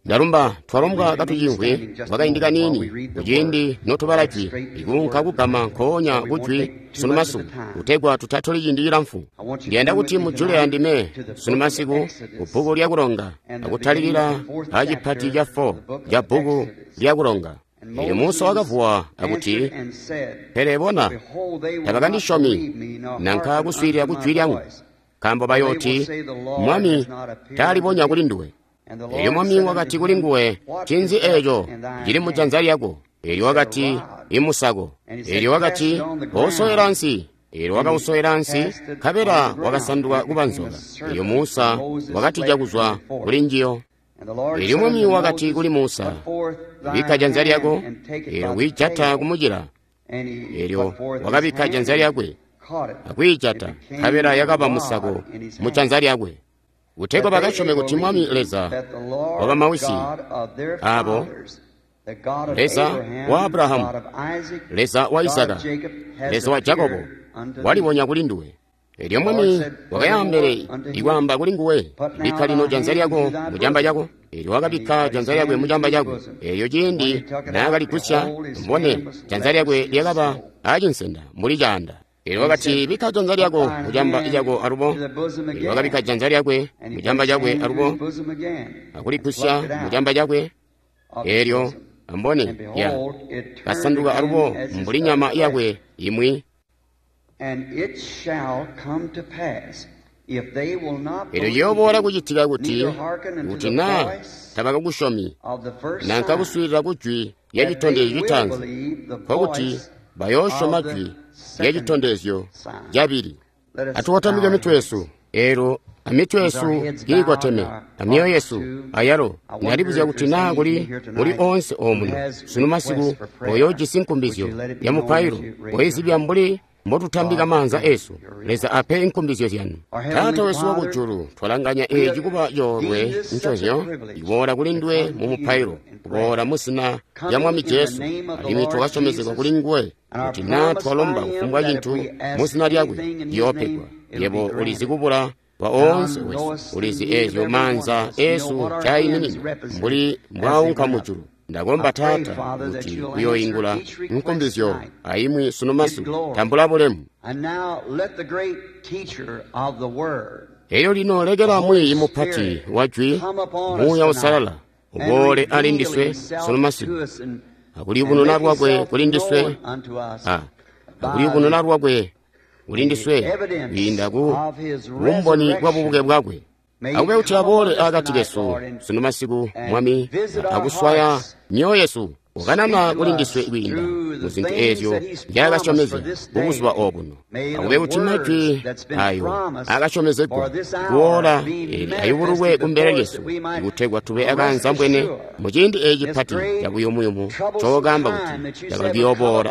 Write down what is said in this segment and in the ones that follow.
Ndalumba twalombwa katuciimvwi kwakaindi kaniini kuciindi notubala Jwi, ikuunka kugama nkoonya ku Jwi sunu masiku, kutegwa tutatoli ciindi cilamfu. Ndiyanda kuti mujule andime sunu masiku ku bbuku lya Kulonga, akutalikila a cipati ca 4 ca bbuku lya Kulonga. Elyo Musa wakavuwa akuti, Pele bona, tabakandisyomi nanka kuswiilila ku jwi lyangu, nkaambo bayooti, Mwami taalibonya kulinduwe. Elyo Mwami wakati kulinguwe, Ncinzi eeco cili mujanza lyako? Elyo wakati, Imusako. Elyo wakati, Kousowela ansi. Elyo wakausowela ansi, nkabela wakasanduka kuba nzoka. Elyo Musa wakatija kuzwa kuli njiyo. Elyo Mwami wakati kuli Musa, Bikka janza lyako, elyo wiijata kumucila. Elyo wakabikka janza lyakwe akwiijata, nkabela yakaba musako mujanza lyakwe. Kutegwa bakasyome kuti Mwami Leza wabamawisi abo, Leza wa Abrahamu, Leza wa Izaka, Leza wa Jakobo, walibonya kulinduwe. Elyo Mwami wakayaambele ikwaamba kulinguwe, Bikka lino janza lyako mucamba cako. Elyo wakabikka janza lyakwe mucamba cakwe. Elyo ciindi naakaligusya, mbone janza lyakwe lyakaba acinsenda mbuli caanda. Elyo wakati, Bikka janza lyako mucamba cako alubo. Elyo wakabikka janza lyakwe mucamba cakwe alubo, akuligusya mucamba cakwe. Elyo ambone ya kasanduka alubo mbuli nyama yakwe imwi. Elyo ciyooboola kucitika kuti, kuti naa tabakakusyomi nanka kuswiilila ku jwi lya citondezyo citaanzi, nkokuti bayoosyoma jwi lya citondezyo cabili. Atukotamike mitwe yesu, eelyo amitwe yesu kiikoteme, amyoyo yesu ayalo. Ndalibuzya kuti naa kuli muli oonse omuno sunu masiku oyoojisi nkumbizyo ya mupailo, oizibya mbuli mbotutambika maanza esu. Leza ape inkumbizyo zyanu. Taata wesu wakujulu, twalanganya eeci kuba coolwe ncozyo kuboola kulinduwe mu mupailo, kuboola mu zina lya Mwami Jesu, alimwi twakasyomezegwa kulinguwe kuti naa twalomba kufumbwa cintu mu zina lyakwe ciyoopegwa. Yebo ulizi kubula kwa oonse wesu, ulizi eezyo maanza esu caiminina mbuli mbwaunka mujulu. Ndakomba Taata kuti uyoingula nkumbizyo aimwi sunu masiku. Tambula bulemu. Elyo lino lekela mwiiyi mupati wa Jwi, Muuya Uusalala, uboole ali ndiswe sunu masiku, akuliyubununa lwakwe kuli ndiswe, akuliyubununa lwakwe kuli ndiswe kwiinda ku bumboni bwa bubuke bwakwe. Akube kuti aboole akati kesu sunu masiku, Mwami, akuswaya myoyo yesu, ukanana kuli ndiswe kwiinda mu zintu eezyo nzyaakasyomezya bubuzuba obuno. Akube kuti majwi ayo akasyomezegwa kuola eli ayubululwe kumbele lyesu, kutegwa tube akaanzambwene mu ciindi eeci pati cabuyumuyumu cookamba kuti cakali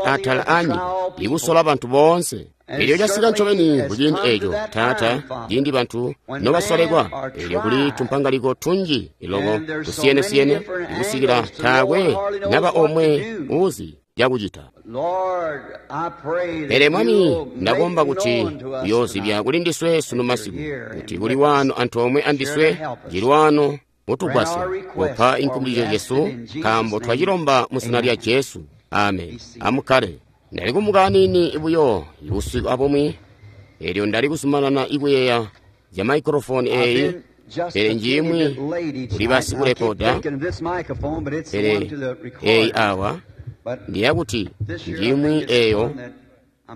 atala anyika ikusola bantu boonse. Elyo casika ncobeni kuciindi eeco, Taata, ciindi bantu nobasolekwa, elyo kuli tumpangaliko tunji loko tusiyene-siyene ikusikila taakwe naba omwe uuzi cakucita. Pele Mwami, ndakomba kuti uyoozibya kuli ndiswe sunu masiku, kuti kuli wano antoomwe andiswe, cili wano mutugwasya kupa inkumbizyo zyesu, nkaambo twacilomba mu zina lya Jesu. Amen. Amukkale. Ndali kumuka aniini buyo busiku abumwi, elyo ndali kuzumanana ikuyeeya zya maikrofoni eeyi, pele njimwi kuli basikurekoda, pele eeyi awa ndiyakuti njimwi eeyo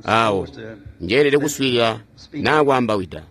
awo njeelede kuswiilila naa kwaambawida.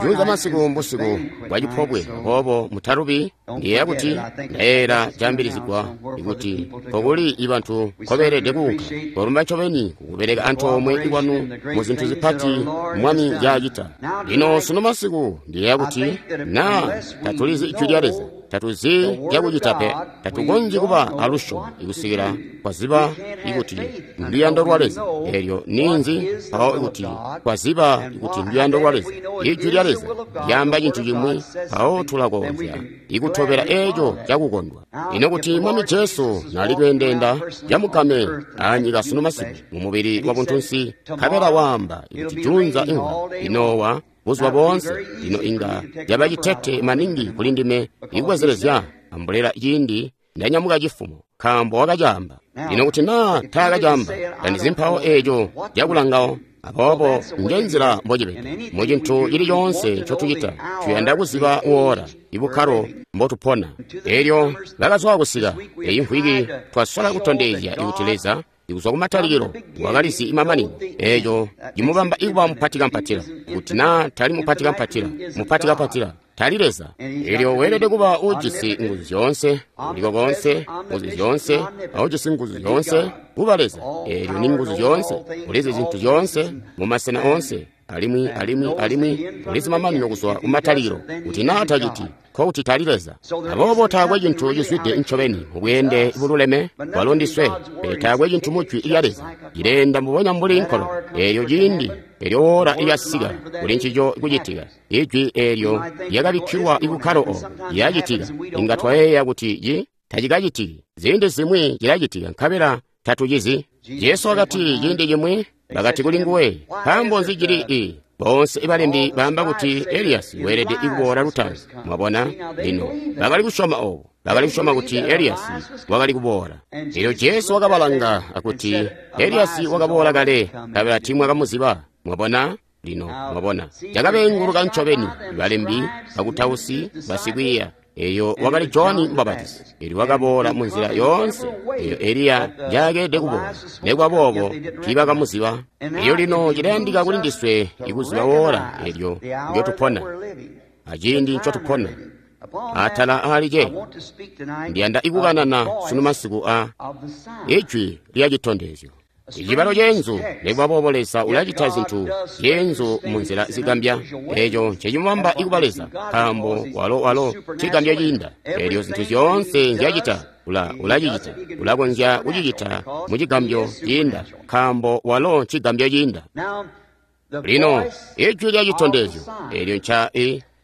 Juunza masiku mbusiku bwa cipobwe, aboobo mutalubi. Ndiyeeya kuti ndayeeyela caambilizigwa ikuti nkokuli ibantu nkobeelede kuunka. Kolumba ncobeni kukubeleka antoomwe kwanu mu zintu zipati Mwami nzyaacita. Lino sunu masiku ndiyeeya kuti naa tatulizi Jwi lya Leza, tatuzi cakucita pe, tatukonzyi kuba alusyomo ikusikila twaziba ikuti nduyando lwa Leza. Elyo ninzi mpawo ikuti twaziba ikuti nduyando lwa Leza, Ijwi lya Leza lyaamba cintu cimwi, mpawo tulakonzya ikutobela eeco cakukondwa. Ino kuti Mwami Jesu nali kweendeenda camukame anyika sunu masiku mu mubili wa buntunsi, nkabela waamba ikuti juunza inga inoowa buzuba boonse, lino inga yaba citete maningi kuli ndime ikubwezelezya ambulela ciindi ndanyamuka cifumo, nkaambo wakacaamba. Lino kuti naa taakacaamba, tandizi mpawo eeco cakulangawo. Aboobo nje nzila mbocibede. Mu cintu cili coonse ncotucita, tuyanda kuziba woora, ibukkalo mbotupona. Elyo bakazwa kusika eyi mvwiki, twasola kutondezya kuti Leza ikuzwa kumatalikilo wakalizi imamanino. Eeco cimubamba ikuba mupatikampatila. Kuti naa tali mupatikampatila, mupatikampatila tali Leza. Elyo weelede kuba ujisi nguzu zyoonse, uliko konse, nguzu zyoonse, aujisi nguzu zyoonse, kuba Leza. Elyo ni nguzu zyoonse, ulizi zintu zyoonse, mu masena oonse, alimwi alimwi alimwi ulizi mamanino kuzwa kumatalikilo. Kuti naa taciti, nkokuti tali Leza. Aboobo taakwe cintu cizwide ncobeni mubweende bululeme bwalo ndiswe, pele taakwe cintu mu Jwi lya Leza cileenda mbubonya mbuli nkolo. Eelyo ciindi elyo woora lyasika kuli ncico kucitika, ijwi eelyo lyakabikkilwa ibukkalo obo lyacitika. Inga twayeeya kuti tacikacitiki. Ziindi zimwi cilacitika nkabela tatucizi. Jesu wakati ciindi cimwi bakati kuli nguwe, nkaambo nzi cili i boonse ibalembi baamba kuti Eliyasi weelede kuboola lutaanzi. Mwabona? Lino bakali kusyoma obo, bakali kusyoma kuti Eliyasi wakali kuboola. Elyo Jesu wakabalanga akuti Eliyasi wakaboola kale, nkabela tiimwakamuziba. Mwabona? Lino mwabona, cakabeenguluka ncobeni balembi, bakutausi, basikwiiya. Eyo wakali Johani Mubapatizi. Elyo wakaboola munzila yoonse eyo Eliya njaakeelede kuboola, nekuba boobo tiibakamuziba. Elyo lino cilayandika kuli ndiswe ikuziba woora elyo ndyotupona aciindi ncotupona. Atala aali ceeco ndiyanda ikukanana sunu masiku a ijwi lya citondezyo. Icibalo ceenzu, nekuba boobo Leza ulacita zintu zyeenzu munzila zigambya. Eeco ncecimubamba ikuba Leza, nkaambo walo cigambya ciinda. Eelyo zintu zyoonse nzyacita, ulacicita, ulakonzya kucicita mu cigambyo ciinda, nkaambo walo cigambyo ciinda. Lino ijwi lya citondezyo eelyo nca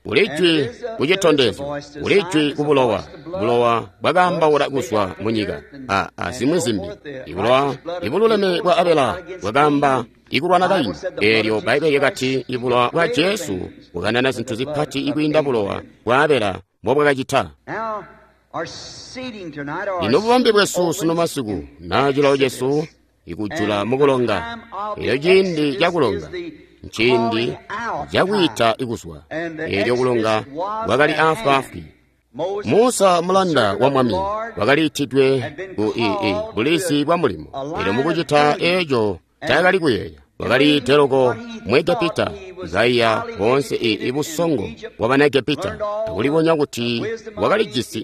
kuli jwi ku citondezyo, kuli jwi ku bulowa. Bulowa bwakaambaula kuzwa mu nyika, a zimwi zimbi. Ibulowa ibululeme bwa Abela bwakaamba ikulwana Kaini. Eelyo Bbaibbele lyakati ibulowa bwa Jesu bukanana zintu zipati ikwiinda bulowa bwa Abela mbobwakacita. Lino bubambe bwesu sunu masiku naa cilawo cesu ikujula mukulonga. Elyo ciindi cakulonga nciindi cakwiita ikuzwa. Elyo kulonga kwakali afwaafwi. Musa mulanda wa Mwami wakaliitidwe ku bulizi bwa mulimo. Elyo mukucita eeco taakali kuyeeya, wakali teloko mu Egepita, kaiya boonse ibusongo bwa bana Egepita, akulibonya kuti wakalijisi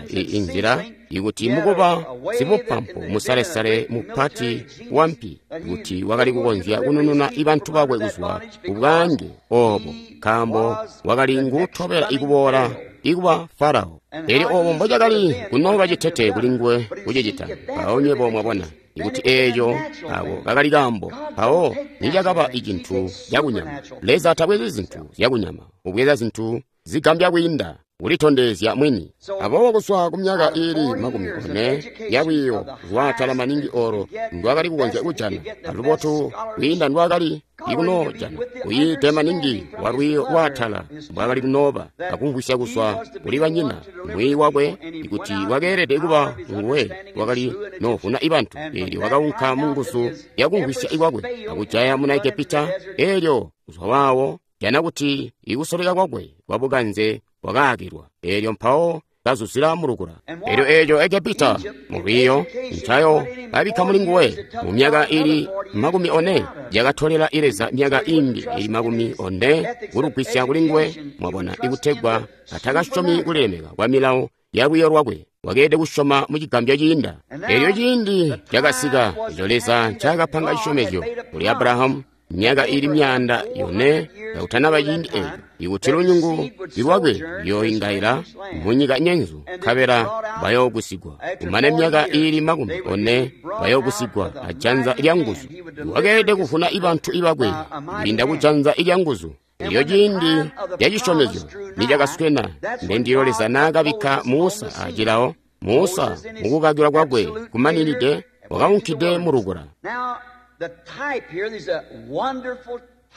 inzila ikuti mukuba sibupampu musalesale mupati wampi, kuti wakali kukonzya kunununa ibantu bakwe kuzwa kubwaange obo, nkaambo wakali ngutobela ikuboola ikuba Farao. Elyo obo mbocakali kunooba citete kuli nguwe kucicita. Mpawo nywebo mwabona ikuti eeco ako kakali kaambo, mpawo nicakaba icintu cakunyama. Leza tabwezi zintu zyakunyama, ubweza zintu zigambya kwiinda kulitondezya mwini. Aboobo kuzwa ku myaka iili 40 yalwiiyo lwaatala maningi olo ndwakali kukonzya kujana, alubotu kwiinda ndwakali ikunoojana, kuyiide maningi wa lwiiyo lwaatala mbwakali kunooba, akumvwisya kuzwa kuli banyina mwiiyi wakwe ikuti wakeelede kuba nguwe wakali noovuna ibantu. Eelyo wakaunka mu nguzu yakumvwisya ikwakwe akujaya muna Egepita. Eelyo kuzwa waawo jana kuti ikusoleka kwakwe kwabukanze wakaakilwa. Eelyo mpawo kazuzila mulukula. Eelyo eeco Egepita mu lwiiyo ncayo babikka muli nguwe mu myaka iili 40 yakatolela Leza myaka imbi iili 40 kulugwisya kuli nguwe. Mwabona, ikutegwa atakasyomi kulilemeka kwa milawo ya lwiiyo lwakwe, wakeelede kusyoma mu cigambyo ciinda. Eelyo ciindi cakasika eco Leza ncaakapanga cisyomezyo kuli Abrahamu myaka iili 400 kakutanaba ciindi eeco, ikuti lunyungu lwakwe luyooingaila munyika nyenzu, nkabela bayoogusigwa. Kumane myaka iili 40 bayoogusigwa ajanza lyanguzu. Wakeelede kuvuna ibantu ibakwe kwiinda kujanza lyanguzu. Elyo ciindi lyacisyomezyo nicakaswena, ndendilyo Leza naakabikka Musa acilawo. Musa mukukakilwa kwakwe kumaninide wakaunkide mulukula.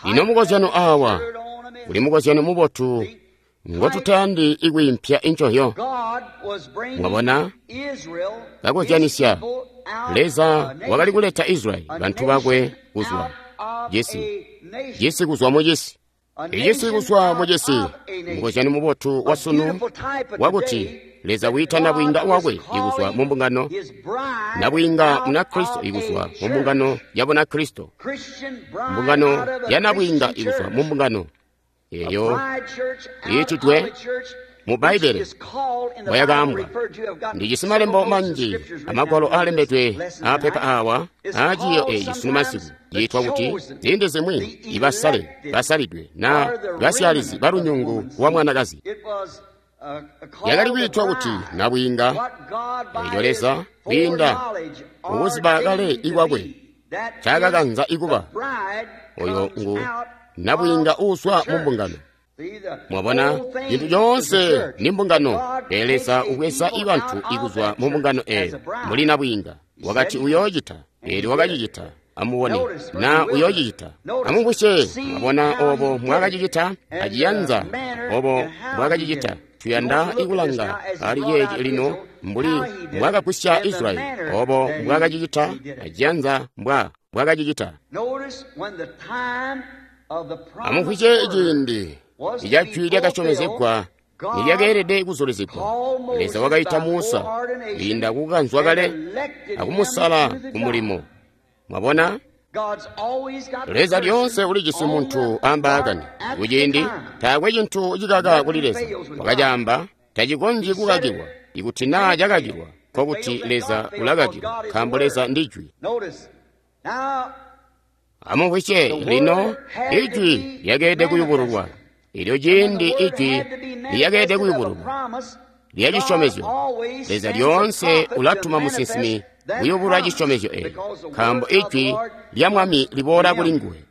Lino mukozyano awa kuli mukozyano mubotu Ngotutayandi ikwiimpya incohyo. Mwabona? Kakozyanisya. Leza wakali kuleta Israyeli, bantu bakwe, kuzwa cisi, cisi kuzwa mu cisi, icisi kuzwa mu cisi. Mukozyano mubotu wa sunu wakuti Leza wiita nabwiinga wakwe ikuzwa mu mbungano, nabwiinga Munakristo ikuzwa mu mbungano ya Bunakristo, mbungano ya nabwiinga ikuzwa mu mbungano eyo iitidwe mu Bbaibbele bwayakaambwa. Ndijisi malembo manji amagwalo aalembedwe aapepa aawa aaciiyo eeci sunu masiku. Yiitwa kuti ziindi zimwi ibasale basalidwe na basyaalizi balunyungu lwa mwanakazi. Yakali kwiitwa kuti nabwiinga, eeco Leza kwiinda mukuziba kale ikwakwe ncaakakanza ikuba. Oyo ngu nabwiinga uuzwa mu mbungano. Mwabona, cintu coonse ni mbungano. Pele Leza ubweza ibantu ikuzwa mu mbungano eyo mbuli nabwiinga. Wakati uyoocita, eelyo wakacicita. Amubone na uyoocicita. Amubusye, mwabona obo mwakacicita aciyanza, obo mwakacicita. Tuyanda ikulanga ali ceeci lino mbuli mbwakagwisya Israyeli, obo mbwakacicita aciyanza mbwakacicita. Amumvwisye ciindi ica jwi lyakasyomezegwa nilyakeelede kuzulizigwa. Leza wakaita Musa kwiinda kukanzwa kale akumusala ku mulimo. Mwabona? Leza lyoonse ulijisi muntu ambaakani. Kuciindi taakwe cintu cikaka kuli Leza. Wakacaamba, tacikonzyi kukakilwa. Ikuti naa cakakilwa, nkokuti Leza ulakakilwa, nkaambo Leza ndi Jwi. Amumvwisye lino, Ijwi lyakeelede kuyubululwa. Elyo ciindi Ijwi lyakeelede kuyubululwa lya cisyomezyo, Leza lyoonse ulatuma musinsimi kuyubulula cisyomezyo eeco, nkaambo Ijwi lya Mwami liboola kuli nguwe.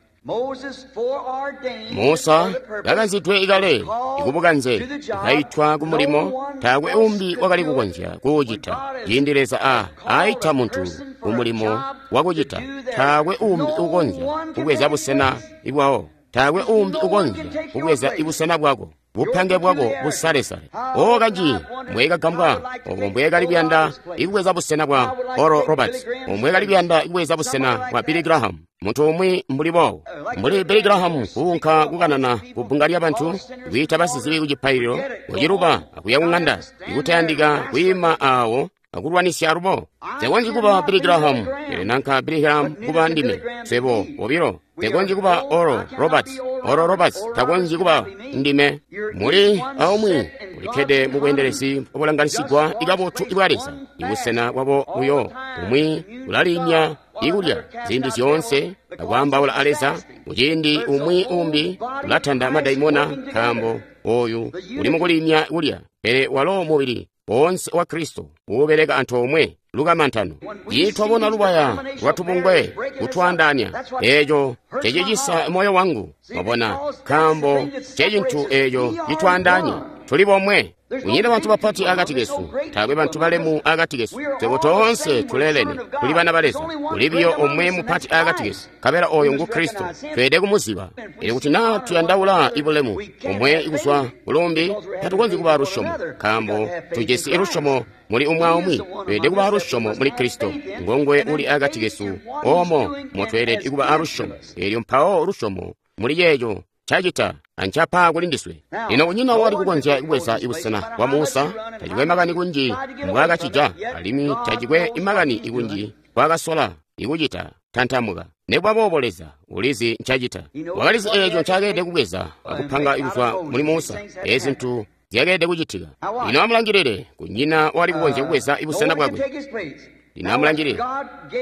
Musa kakanzidwe kale ikubukanze, kaitwa ku mulimo, taakwe umbi wakali kukonzya kuwucita. Ciindi Leza aita muntu ku mulimo wakucita, taakwe umbi ukonzya kubweza busena bwawo. Taakwe umbi ukonzya kubweza ibusena bwako, bupange bwako busalesale. O kanji mbwekagambwa obo mbwekali kuyanda ikubweza busena bwa Oral Roberts, omwekali kuyanda ikubweza busena bwa Billy Graham, muntu umwi mbuli boobo, mbuli Billy Graham kuunka kukanana ku bbunga lyabantu, kwiita basizibi ku cipaililo, kuciluba akuya ku ŋanda, ikutayandika kwiima aawo akulwanisya alubo. Nsekonzyi kuba Billy Graham, pele nanka Billy Graham kuba ndime. Swebo bobilo nsekonzyi kuba Oral Roberts, Oral Roberts takonzyi kuba ndime. Muli aumwi ulikkede mu bweendelezi obulanganisigwa ikabotu ibwa Leza, ibusena bwabo buyo. Umwi ulaliimya ikulya ziindi zyoonse akwaambaula a Leza, muciindi umwi umbi ulatanda madaimona, nkaambo oyu uli mukuliimya kulya. Pele walo mubili woonse wa Kristo uubeleka antoomwe lukamantano. Twabona lubaya lwatubungwe kutwaandaanya, eeco cecicisa moyo wangu. Mwabona, nkaambo cecintu eeco citwaandaanya. Tuli bomwe. Kunyina bantu bapati akati kesu, taakwe bantu balemu akati kesu. Swebo toonse tuleelene, tuli bana ba Leza. Kuli biyo omwe mupati akati kesu, nkabela oyo ngu Kristo. Tweelede kumuziba. Elyo kuti naa tuyandaula ibulemu omwe kuzwa kulumbi, tatukonzyi kuba lusyomo, nkaambo tujisi lusyomo muli umwi aumwi. Tweelede kuba alusyomo muli Kristo, ngongwe uli akati kesu, oomo motweelede kuba alusyomo. Elyo mpawo lusyomo muli ceeco cacita ancapa kuli ndiswe. Lino kunyina wali kukonzya kubweza ibusena bwa Musa. Tacikwe makani kunji mbwaakacija, alimwi tacikwe makani ikunji mbwaakasola ikucita tantamuka. Nikuba boobo Leza ulizi ncacita. Wakalizi eeco ncakeelede kubweza akupanga kuzwa muli Musa. Eezi zintu zyakeelede kucitika. Lino amulangilile, kunyina wali kukonzya kubweza ibusena bwakwe. Lino amulangilile,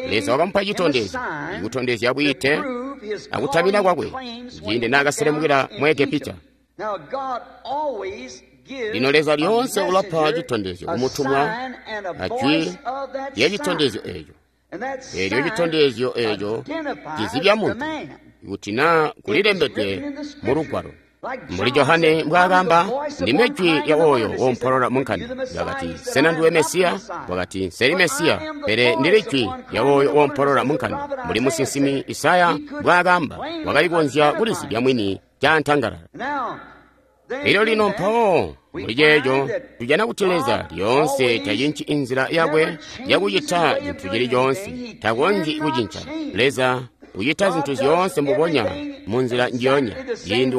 Leza wakamupa citondezyo, ikutondezya bwiite akutamina kwakwe ciindi naakaselemukila mu Egepita. Lino Leza lyoonse ulapa citondezyo kumutumwa ajwi lya citondezyo eeco. Eelyo citondezyo eeco cizibya muntu kuti naa kulilembedwe mu Lugwalo. Mbuli Johane mbwaakamba, ndime jwi lya oyo woompolola munkanda. Wakati, sena ndiwe Mesiya? Wakati, nseli Mesiya, pele ndili jwi lya oyo woompolola munkanda. Mbuli musinsimi Isaya mbwaakamba, wakali kukonzya kulizibya mwini caantangalala. Elyo lino mpawo muli ceeco tujana kuti Leza lyoonse tacinci inzila yakwe yakucita cintu cili coonse. Takonzyi kucinca. Leza ucita zintu zyoonse mbubonya munzila njiyonya ciindi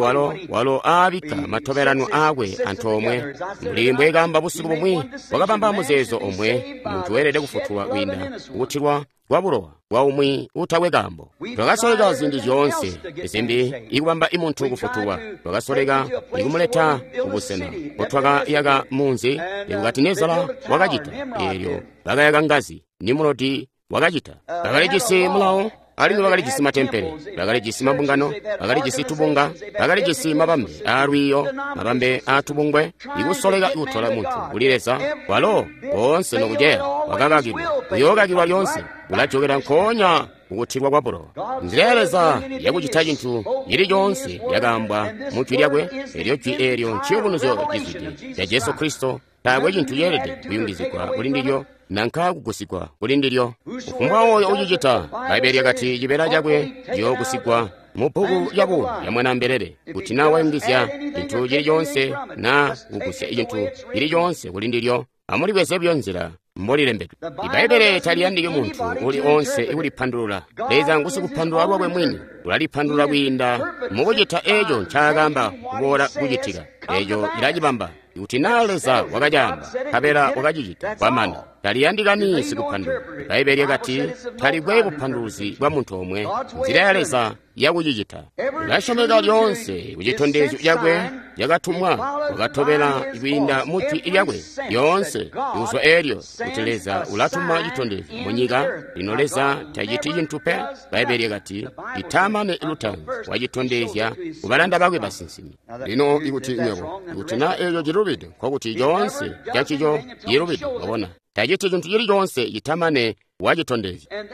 walo aabikka matobelano aakwe antoomwe. Mbuli mbwekaamba busiku bumwi, wakabamba muzeezo omwe, muntu weelede kufutulwa kwiinda kukutilwa kwa bulowa bwa umwi utakwe kaambo. Twakasoleka ziindi zyoonse zimbi ikubamba imuntu kufutulwa. Twakasoleka ikumuleta kubusena mbotwakayaka munzi. Nebukadinezara wakacita, eelyo bakayaka ngazi. Nimurodi wakacita. Bakalijisi mulawo, alimwi bakalijisi matempele, bakalijisi mabungano, bakalijisi tubunga, bakalijisi mabambe aalwiiyo, mabambe aatubungwe, ikusoleka kutola muntu kuli Leza. Walo boonse nokuceya wakakakilwa, uyookakilwa lyoonse, ulajokera nkoonya kukutilwa kwa bulowa. Nzila ya Leza yakucita cintu cili coonse yakaambwa mu Jwi lyakwe, elyo Jwi eelyo nciyubunuzyo cizwide ca Jesu Kristo. Taakwe cintu ceelede kuyungizigwa kuli ndilyo nanka kugusigwa kuli ndilyo. Kufumbwa oyo ucicita, Bbaibbele lyakati cibeela cakwe ciyoogusigwa mu bbuku lya buumi lya Mwanaambelele. Kuti naa wayungizya cintu cili coonse naa kugusya cintu cili coonse kuli ndilyo, amulibweze buyo nzila mbolilembedwe. Ibbaibbele taliyandiki muntu uli oonse ikulipandulula. Leza ngusikupandulula lwakwe mwini, ulalipandulula kwiinda mukucita eeco ncaakaamba kuboola kucitika. Eeco cilacibamba. Kuti naa Leza wakacaamba, nkabela wakacicita, kwamana. Taliyandikani sikupandulula. Bbaibbele lyakati talikwe bupanduluzi bwa muntu omwe. Nzila ya Leza yakucicita. Ulasyomeka lyoonse kucitondezyo cakwe cakatumwa, wakatobela kwiinda mu Jwi lyakwe lyoonse kuzwa eelyo kuti Leza ulatuma citondezyo munyika. Lino Leza taciti cintu pe. Bbaibbele lyakati itamane lutaanzi wacitondezya kubalanda bakwe basinsimi. Lino ikuti nywebo, ikuti naa eeco cilubide, nkokuti coonse cancico cilubide. Wabona, taciti cintu cili coonse citamane wacitondezya.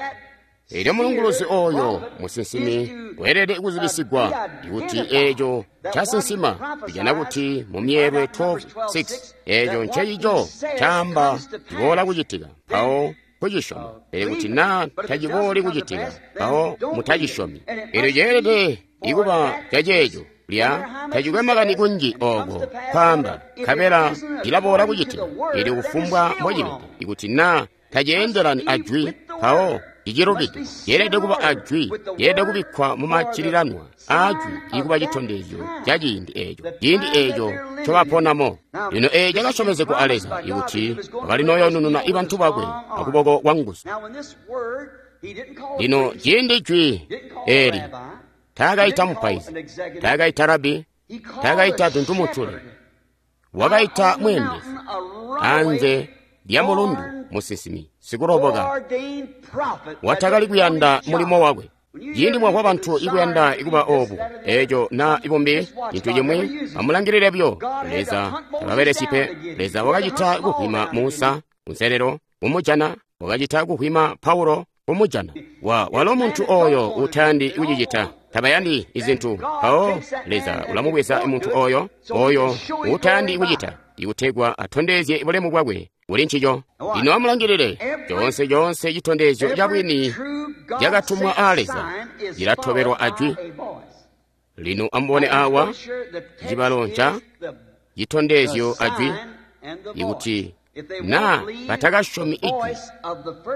Elyo mulunguluzi oyo musinsimi weelede kuzibisigwa kuti eeco casinsima. Tujana kuti mu Myeelwe 12:6 eeco ncecico caamba ciboola kucitika, mpawo kucisyoma. Pele kuti naa tacibooli kucitika, mpawo mutacisyomi. Elyo ceelede ikuba caceeco lya tacikwe makani kunji ooko kwaamba, nkabela cilaboola kucitika. Elyo kufumbwa mbocibede, ikuti naa taceendelani ajwi, mpawo icilubide. Yeelede kuba ajwi, yeelede kubikkwa mumaccililanwa aajwi ikuba citondezyo ca ciindi eeco, ciindi eeco ncobaponamo. Lino eeci cakasyomezegwa a Leza ikuti wakali noyoonununa ibantu bakwe akuboko kwa nguzu. Lino ciindi jwi eeli taakaita mupaizi, taakaita rabi, taakaita duntumutule, wakaita mweembezi anze lya mulundu, musinsimi sikuloboka watakali kuyanda mulimo wakwe. Ciindi mwamvwa bantu ikuyanda ikuba obu, eeco naa ibumbi cintu cimwi, amulangilile buyo. Leza tababelesyi pe. Leza wakacita kuhwima Musa kunselelo kumujana, wakacita kuhwima Paulo kumujana. Walo muntu oyo utayandi kucicita, tabayandi izintu, mpawo Leza ulamubweza muntu oyo utayandi kucita, ikutegwa atondezye bulemu bwakwe kuli ncico. Lino amulangilile, coonse coonse citondezyo cabwini cakatumwa a Leza cilatobelwa ajwi. Lino amubone awa cibalo nca citondezyo ajwi, ikuti naa batakasyomi ijwi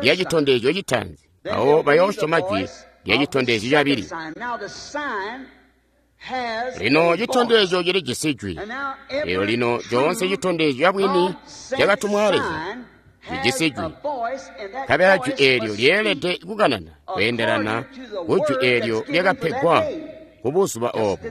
lya citondezyo citaanzi, mpawo bayoosyoma jwi lya citondezyo cabili. Lino citondezyo cilijisi jwi. Elyo lino coonse citondezyo cabwini cakatumwa a Leza cijisi jwi, nkabela jwi eelyo lyeelede kukanana kweendelana ku jwi eelyo lyakapegwa ku buzuba oobo.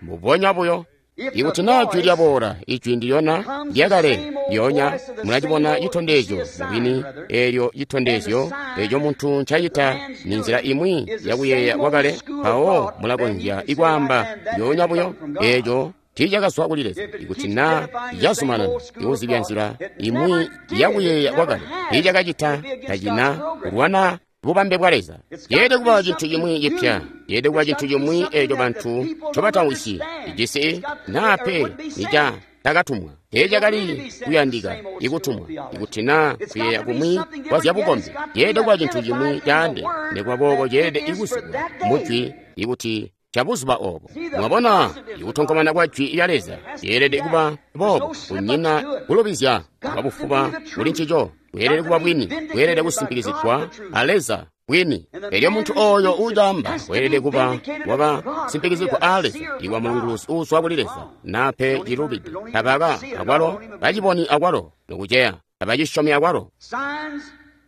Mbubonya buyo, ikuti naa jwi lyaboola, ijwi ndiyona lyakale lyoonya, mulacibona citondezyo mubwini. Eelyo citondezyo eeco muntu ncacita ni nzila imwi yakuyeeya kwakale, mpawo mulakonzya ikwaamba lyoonya buyo eeco tiicakazwa kuli Leza. Ikuti naa cazumanana ikuzibya nzila imwi yakuyeeya kwakale, tiicakacita, tacina kulwana bubambe bwa Leza. Yeelede kuba cintu cimwi cipya, yeelede kuba cintu cimwi eeco bantu ncobatamvwisyi, ijisi naa pe nica takatumwa. Teecakali kuyandika ikutumwa. Ikuti naa kuyeeya kumwi kwa zyabukombi, yeelede kuba cintu cimwi caande, nikuba boobo ceelede ikuzibwa mujwi ikuti ca buzuba obo. Mwabona, ikutonkomana kwa Jwi lya Leza lyeelede kuba boobo, kunyina kulubizya kwabufuba kuli ncico. Bweelede kuba bwini, bweelede kusimpikizigwa a Leza bwini. Elyo muntu oyo ucaamba weelede kuba wakasimpikizigwa a Leza, iwa mulunguluzi uuzwa kuli Leza, nape cilubide. Tabaka akwalo baciboni akwalo nokuceya, tabacisyomi akwalo.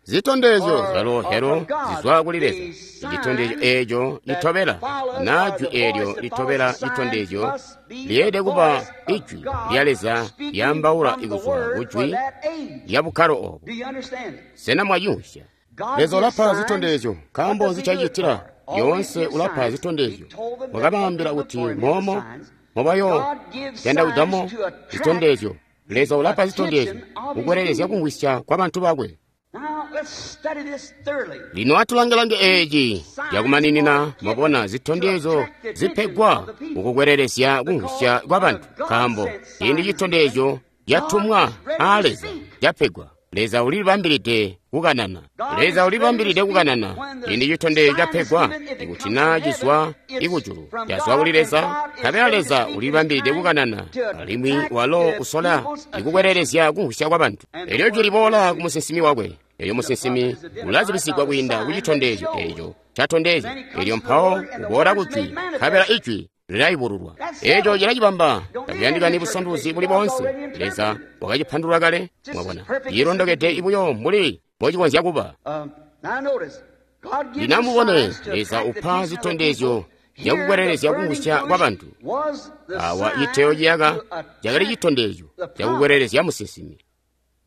Zitondezyo zyalo helo zizwa kuli Leza. Icitondezyo eeco litobela, na jwi eelyo litobela citondezyo lyeelede kuba ijwi lya Leza lyaambaula ikuzwa ku jwi lya bukkalo obo. Sena mwayumvya? Leza ulapa zitondezyo. Nkaambo nzi cacitila? Lyoonse ulapa zitondezyo. Wakabaambila kuti moomo mobayo yandawidamo zitondezyo. Leza ulapa zitondezyo kukwelelezya kumvwisya kwa bantu bakwe. Lino atulange-lange eeci cakumaninina. Mwabona, zitondezyo zipegwa kukukwelelezya kumvwisya kwa bantu, nkaambo ciindi citondezyo catumwa aa Leza capegwa, Leza ulibambilide kukanana. Leza ulibambilide kukanana ciindi citondezyo capegwa. Ikuti naa cizwa ikujulu, cazwa kuli Leza, nkabela Leza ulibambilide kukanana, alimwi walo usola ikukwelelezya kumvwisya kwa bantu. Elyo jwi liboola ku musinsimi wakwe. Elyo musinsimi ulazibisigwa kwiinda ku citondezyo eeco catondezya. Elyo mpawo uboola ku jwi, nkabela ijwi lilayubululwa. Eeco cilacibamba. Takuyandikani busanduluzi buli boonse. Leza wakacipandulula kale. Mwabona, cilondokede buyo mbuli mbocikonzya kuba. Lino amubone, Leza upa zitondezyo zyakukwelelezya kumvwisya kwa bantu. Awa citeyo ciyaka cakali citondezyo cakukwelelezya musinsimi.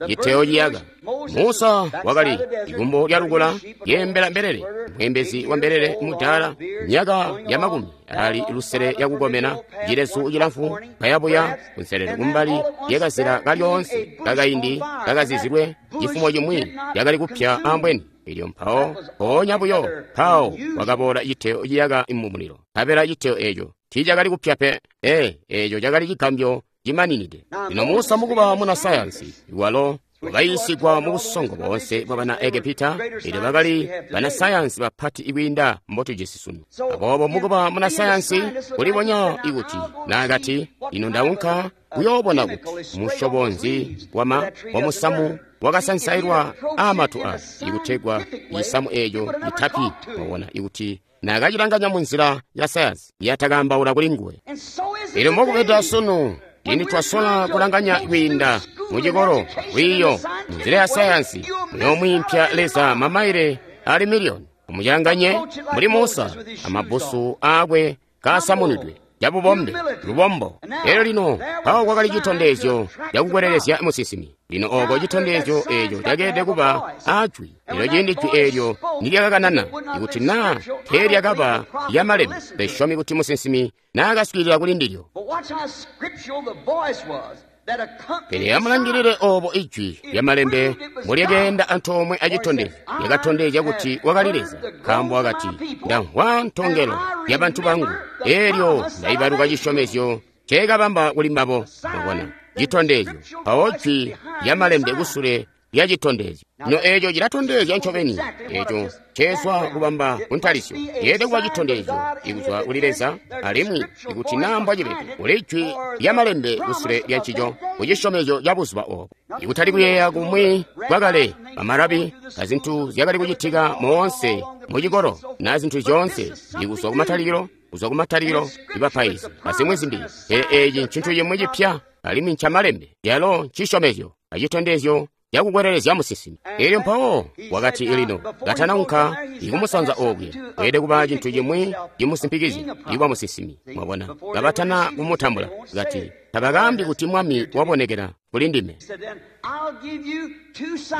Citeyo ciyaka. Musa wakali ikumbo lya lukula yeembela mbelele, mweembezi wa mbelele mudaala, myaka ya 60 yakukomena, cilezu cilamfu kayabuya kunselelo kumbali lyakazila kalyoonse kakaindi kakazizilwe cifumo cimwi cakali kupya ambweni. Elyo mpawo mpoonya buyo mpawo wakaboola citeyo ciyaka mu mulilo, nkabela citeyo eeco tiicakali kupya pe. Eeco cakali cigambyo cimaninide. Lino Musa mukuba muna sayansi, walo wakayiisigwa mu busongo boonse bwa bana Egepita, elyo bakali banasayansi bapati kwiinda mbotujisi sunu. Aboobo mukuba munasayansi kulibonya ikuti naakati, ino ndaunka kuyoobona kuti musyobo nzi wa musamu wakasansailwa aamatu aya, ikutegwa cisamu eeco citapi. Mwabona, ikuti naakacilanganya mu nzila ya sayansi, yatakaambaula kuli nguwe. Elyo mbokubeda sunu, ciindi twasola kulanganya kwiinda mucikolo, lwiiyo, munzila ya sayansi, muyoomwiimpya Leza mamaile ali miliyoni. Mumucilanganye muli Musa amabbusu aakwe kaasamunwidwe cabubombe lubombo. Elyo lino mpawo kwakali citondezyo cakukwelelezya musinsimi. Lino oko citondezyo eeco cakeelede kuba aajwi. Elyo ciindi jwi eelyo nilyakakanana, ikuti naa teelyakaba lyamalembe, lesyomi kuti musinsimi naakaswiilila kuli ndilyo. Pele amulangilile obo ijwi lyamalembe mbolyakeenda antoomwe acitondezyo. Lyakatondezya kuti wakali Leza, nkaambo wakati, ndamvwa ntongelo ya bantu bangu, elyo ndaibaluka cisyomezyo nceekabamba kuli mbabo. Mwabona, citondezyo, mpawo jwi lyamalembe kusule lya citondezyo. Lino eeco cilatondezya ncobeni eeco ceezwa kubamba kuntalisyo. Yeelede kuba citondezyo ikuzwa kuli Leza, alimwi ikuti naa mbwacibede, kuli jwi lyamalembe kusule lya ncico, ku cisyomezyo ca buzuba obo. Ikutali kuyeeya kumwi kwakale, bamarabi, azintu zyakali kucitika moonse mucikolo, na zintu zyoonse, ikuzwa kumatalikilo, kuzwa kumatalikilo ibapaizi azimwi zimbi. Pele eeci ncintu cimwi cipya, alimwi ncamalembe, yalo ncisyomezyo acitondezyo cakukwelelezya musinsimi. Elyo mpawo wakati, lino katanaunka ikumusanza okuya, weelede kuba cintu cimwi cimusimpikizya ikuba musinsimi. Mwabona, kabatana kumutambula, kati, tabakaambi kuti mwami wabonekela kuli ndime.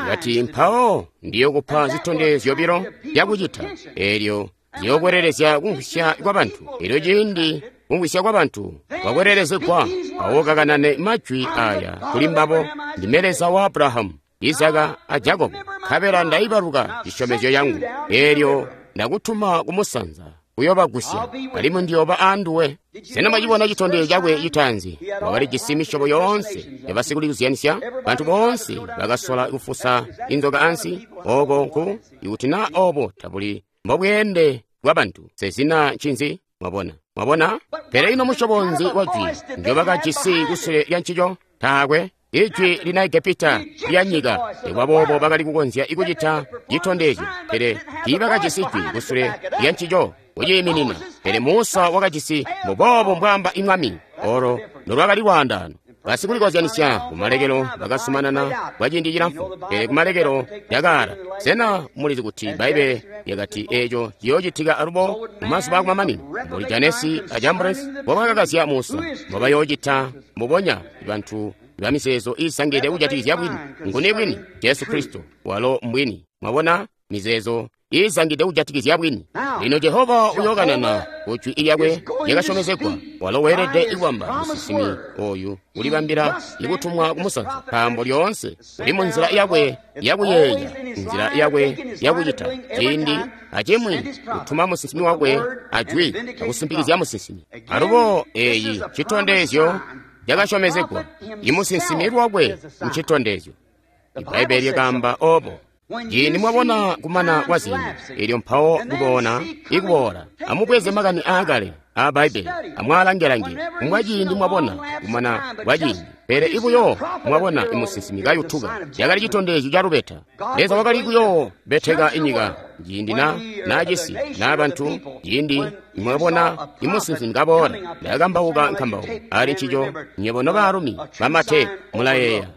Kati, mpawo ndiyokupa zitondezyo zyobilo zyakucita, elyo ziyokwelelezya kumvwisya kwa bantu. Elyo ciindi kumvwisya kwa bantu kwakwelelezegwa, mpawo kakanane majwi aya kuli mbabo, ndime Leza wa Abrahamu, Izaka a Jakobo, nkabela ndaibaluka cisyomezyo yangu, elyo ndakutuma kumusanza kuyobagusya, alimwi ndiyooba aanduwe. Sena mwacibona citondezyo cakwe citaanzi? Wakalijisi misyobo yoonse yabasikulizyanisya, bantu boonse bakasola kufusa inzoka ansi. Oko nku, ikuti naa obo tabuli mbobweende bwa bantu, sezina ncinzi? Mwabona? Mwabona? Pele ino musyobo nzi wa jwi ndyoba kajisi kusule lya ncico? Taakwe. Ijwi lina Egepita lya nyika. Boobo bakali kukonzya ikucita citondezyo, pele tiibakajisi jwi kusule lya ncico kuciiminina. Pele Musa wakajisi mbuboobo mbwaamba imwami. Olo nolwakali lwaandaano. Basikulikozyanisya kumalekelo bakasumanana kwa ciindi cilamfu, pele kumalekelo yakaala. Sena mulizi kuti Bbaibbele lyakati eeco ciyoocitika alubo mumazuba akumamanino? Mbuli Janesi a Jambresi mbobakakazya Musa, mbobayoocita mbubonya bantu bamizeezo iisangide kujatikizya bwini. Nguni bwini? Jesu Kristo walo mbwini. Mwabona, mizeezo iizangide kujatikizya bwini. Lino Jehova uyookanana ku jwi lyakwe lyakasyomezegwa. Walo weelede kubamba musinsimi oyu ulibambila ikutumwa kumusanza, nkaambo lyoonse uli mu nzila yakwe yakuyeeya, nzila yakwe yakucita. Ciindi acimwi kutuma musinsimi wakwe ajwi akusimpikizya musinsimi. Alubo eeyi citondezyo cakasyomezegwa. Imusinsimi lwakwe ncitondezyo. Ibbaibbele lyakaamba obo. Ciindi mwabona kumana kwa ziindi, elyo mpawo kubona ikuboola, amubweze makani aakale aa Bbaibbele, amwaalange-lange. Kumbwa ciindi mwabona kumana kwa ciindi, pele ibuyo mwabona imusinsimi kayutuka, cakali citondezyo ca lubeta. Leza wakali kuyoobeteka inyika ciindi na cisi na bantu. Ciindi mwabona imusinsimi kaboola, ndakambauka nkambauko ali ncico. Nywebo nobaalumi bamate mulayeeya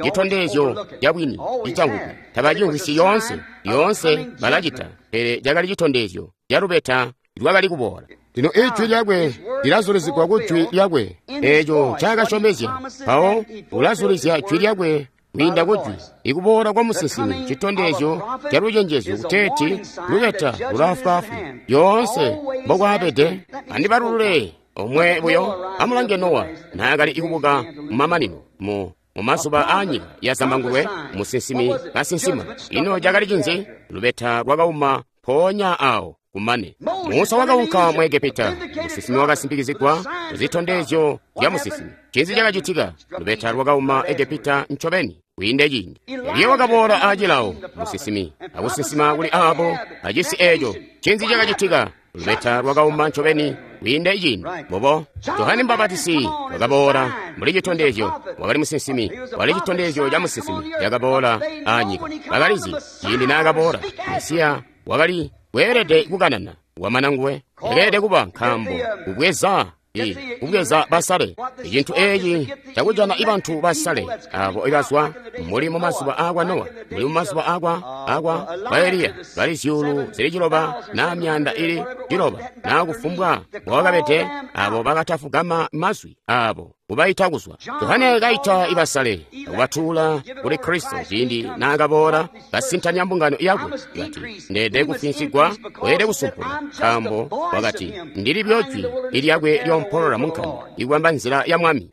citondezyo cabwini icangukwe. Tabacimvwisyi yoonse, yoonse balacita, pele cakali citondezyo ca lubeta lwakali kuboola. Lino ijwi lyakwe lilazulizigwa ku jwi lyakwe, eeco ncaakasyomezya. Mpawo ulazulizya jwi lyakwe kwiinda ku jwi. Ikuboola kwa musinsimi citondezyo ca lucenjezyo kuteeti lubeta lulaafwaafwi. Lyoonse mbokwaabede. Andibalulule omwe buyo. Amulange Nowa naakali ikubuka mumamanino mu mumazuba aanyika ya Zambangulwe, musinsimi kasinsima. Ino cakali cinzi? Lubeta lwakauma mpoonya awo kumane. Musa wakaunka mu Egepita, musinsimi wakasimpikizigwa kuzitondezyo zya musinsimi. Cinzi cakacitika? Lubeta lwakauma Egepita ncobeni kwiinde ciindi. Eliya wakaboola aacilawo, musinsimi, akusinsima kuli aabo acisi eeco. Cinzi cakacitika? Lubeta lwakauma ncobeni kwiinde ciindi. Bobo Johane Mbabatisi wakaboola mbuli citondezyo, wakali musinsimi, wali citondezyo ca musinsimi cakaboola aanyika. Bakalizi ciindi naakaboola, Mesiya wakali weelede kukanana wamana nguwe yakeelede kuba, nkaambo kubweza basale. Icintu eeci cakujana ibantu basale abo ibazwa muli mumazuba aakwa Nowa, muli mumazuba akwa ba Eliya, bali 600 na 900 na kufumbwa mbowakabede, abo bakatafugama mazwi abo kubaita kuzwa. Johane kaita ibasale akubatuula kuli Kristo ciindi naakaboola kasintanya mbungano yakwe, kati ndeede kufinsigwa, weelede kusumpulwa, nkaambo wakati ndili buyo jwi ilyakwe lyompolola munkanda ikubamba nzila ya Mwami.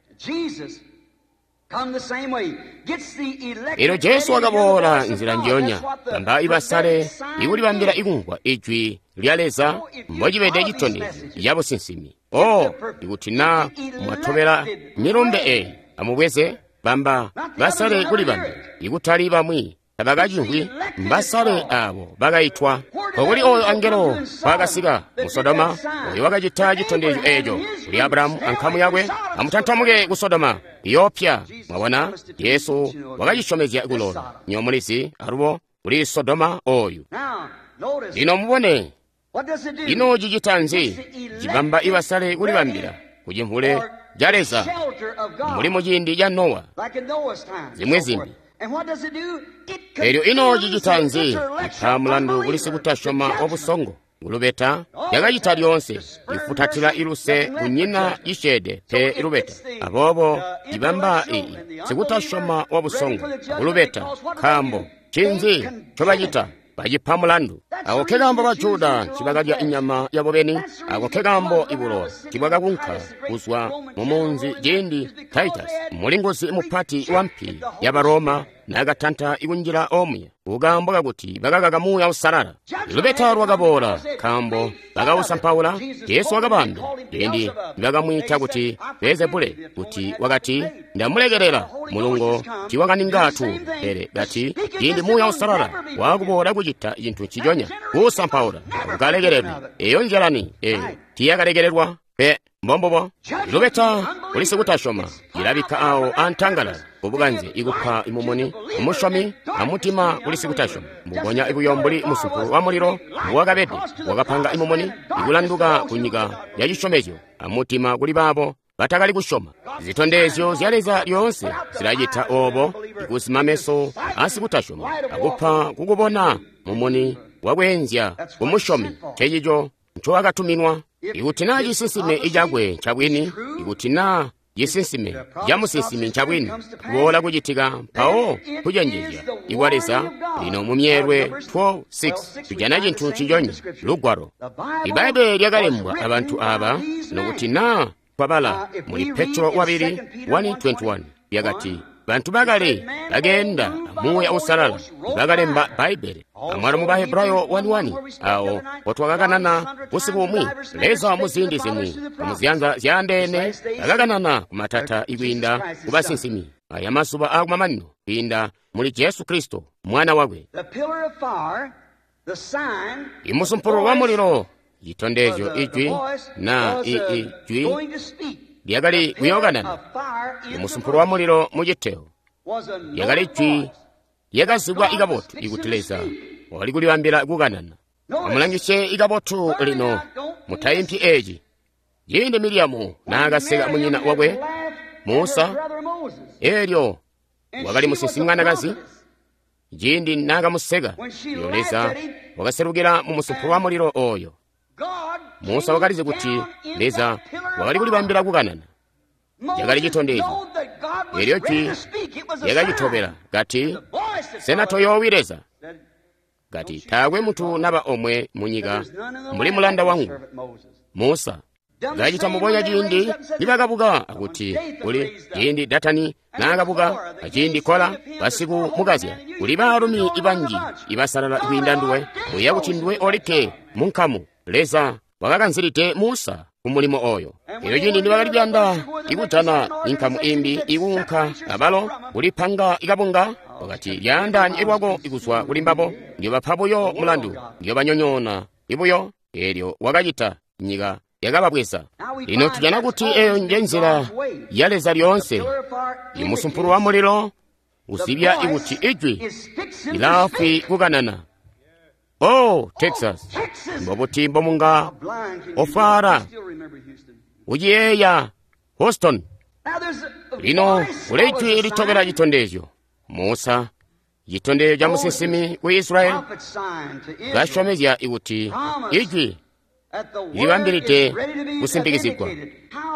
Elyo Jesu wakaboola nzila njiyonya, bamba ibasale ikulibambila ikumvwa ijwi lya Leza mbocibede citondezyo ca businsimi. Oh, ikuti na mwatobela milumbe eeyi, amubweze bamba basale kulibambila, ikutali bamwi tabakacimvwi, mbasale abo bakaitwa. Kokuli oyo angelo wakasika mu Sodoma, oyo wakacita citondezyo eeco kuli Abrahamu ankamu yakwe, amutantamuke ku Sodoma iyopya. Mwabona, Yesu wakacisyomezya kulola. Nywebo mulizi alubo kuli Sodoma oyu. Lino mubone, ino cicita nzi? Cibamba ibasale kulibambila kucimvule ca Leza, mbuli mu ciindi ca Nowa, zimwi zimbi. Elyo ino cicita nzi? Ipa mulandu kuli sikutasyoma wabusongo. Kulubeta yakacita lyoonse ifutatila iluse kunyina cisyeede pe ilubeta. Aboobo cibamba iyi sikutasyoma wabusongo kulubeta, nkaambo cinzi ncobacita? Bacipa mulandu. Ako ke kaambo ba Juda ncibakalya inyama yabo beni. Ako ke kaambo ibulowa ncibwakakunka kuzwa mu munzi ciindi Titus, mulinguzi mupati wa mpi yaba Roma, nakatanta ikunjila omuya, kukaambo kakuti bakakaka Muuya Uusalala. Lubeta lwakaboola nkaambo bakausampaula. Jesu wakabaambila ciindi nibakamwiita kuti Beelzebule, kuti wakati, ndamulekelela mulungo tiwakaninga tu, pele kati ciindi Muuya Uusalala wakuboola kucita cintu nciconya, kuusampaula ukalekelelwe. Eyo njalani eyo tiyakalekelelwa pe. Mbombubo lubeta kuli sikutasyoma ilabikka awo antangalala kubukanze ikupa imumuni umusyomi amutima kuli sikutasyoma, mbubonya ibuyo mbuli musumpu wa mulilo mbuwakabede wakapanga imumuni ikulanduka ku nyika ya cisyomezyo amutima kuli baabo batakali kusyoma. Zitondezyo zya Leza lyoonse zilacita obo, ikuzima meso asikutasyoma akupa kukubona mumuni wakweenzya kumusyomi. Ncencico ncowakatuminwa. Ikuti naa cisinsime icakwe ncabwini, ikuti naa cisinsime camusinsimi ncabwini, kuboola kucitika mpawo kucenjezya ikwa Leza. Lino mu myeelwe 12:6 tujana cintu nciconya, lugwalo. Ibbaibbele lyakalembwa abantu aba, nokuti naa twabala muli Petro wabili 1:21 lyakati, bantu bakale bakeenda Muuya Uusalala bakalemba Bbaibbele. Amwalo mu Bahebrayo 1:1 awo potwakakanana busiku bumwi, Leza muziindi zimwi muziyanza zyaandeene bakakanana kumatata ikwiinda kubasinsimi aya mazuba akumamanino kwiinda muli Jesu Kristo mwana wakwe. Imusumpulu wa mulilo, citondezyo ijwi na ijwi lyakali kuyokanana. Imusumpulu wa mulilo muciteo lyakali jwi lyakazibwa ikabotu ikuti Leza wakali kulibambila kukanana. Amulangisye ikabotu lino, mutaimpyi eci. Ciindi Miriamu naakaseka munyina wakwe Musa, elyo wakali musinsimi mwanakazi, ciindi naakamuseka, yo Leza wakaselukila mu musumpulu wa mulilo oyo. Musa wakalizi kuti Leza wakali kulibambila kukanana. Lyakali citondezyo. Elyo jwi lyakacitobela kati, sena toyoowi Leza? Kati, taakwe munthu naba omwe munyika mbuli mulanda wangu Musa. Kacita mbubonya ciindi nibakabuka akuti kuli ciindi Datani naakabuka, aciindi Kola basikumukazya, kuli baalumi banji ibasalala kwiinda nduwe, uya kuti nduwe olikke munkamu. Leza wakakanzilide Musa ku mulimo oyo. Elyo ciindi nibakali kuyanda ikujana inkamu imbi ikuunka abalo kulipanga ikabunga, wakati lyaandaanye lwako ikuzwa kuli mbabo, ndiyobapa buyo mulandu, ndiyobanyonyoona ibuyo. Elyo wakacita, nyika yakababweza. Lino tujana kuti eyo nje nzila ya Leza lyoonse. Imusumpulu wa mulilo uzibya ikuti ijwi lilaafwi kukanana. Oh, Texas, mbobuti mbomunga ofwala uciyeeya Houston. Lino kuli ijwi litobela citondezyo. Musa, citondezyo ca musinsimi ku Israeli, kasyomezya ikuti ijwi libambilide kusimpikizigwa.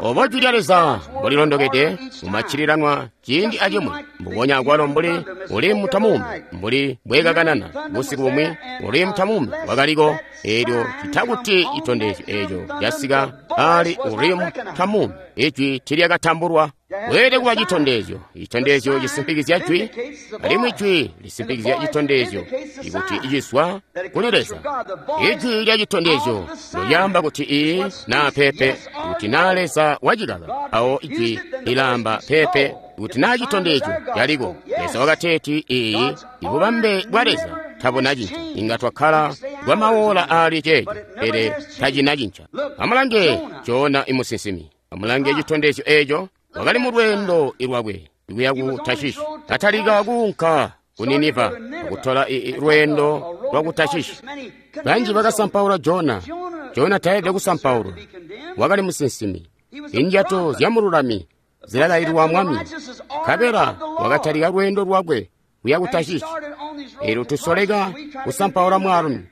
Obo jwi lya Leza mbolilondokede mumaccililanwa ciindi acimwi, mbubonya akwalo mbuli uli mutamume, mbuli bwekakanana busiku bumwi, uli mutamume wakaliko. Elyo citakuti citondezyo eco casika ali uli mutamume, ijwi tilyakatambulwa. Weelede kuba citondezyo. Citondezyo cisimpikizya jwi, alimwi jwi lisimpikizya citondezyo ikuti icizwa kuli Leza. Ijwi lya citondezyo lyaamba kuti ii naa pepe. Ikuti naa Leza wacikaka, awo ijwi lilaamba pepe. Ikuti naa citondezyo caliko, Leza wakateeti ii, ibubambe bwa Leza tabuna cinca. Inga twakkala kwa mawola ali ceeco, pele tacina cinca. Amulange Jona imusinsimi, amulange citondezyo eco. Wakali mu lweendo lwakwe kuya ku Tashishi, katalika kuunka ku Niniva akutola lweendo lwa ku Tashishi. Banji bakasampaula Jona. Jona tayelede kusampaulwa, wakali musinsimi. Injato zyamululami zilalailwa Mwami. Nkabela wakatalika lweendo lwakwe kuya ku Tashishi. Elyo tusoleka kusampaula mwaalumi,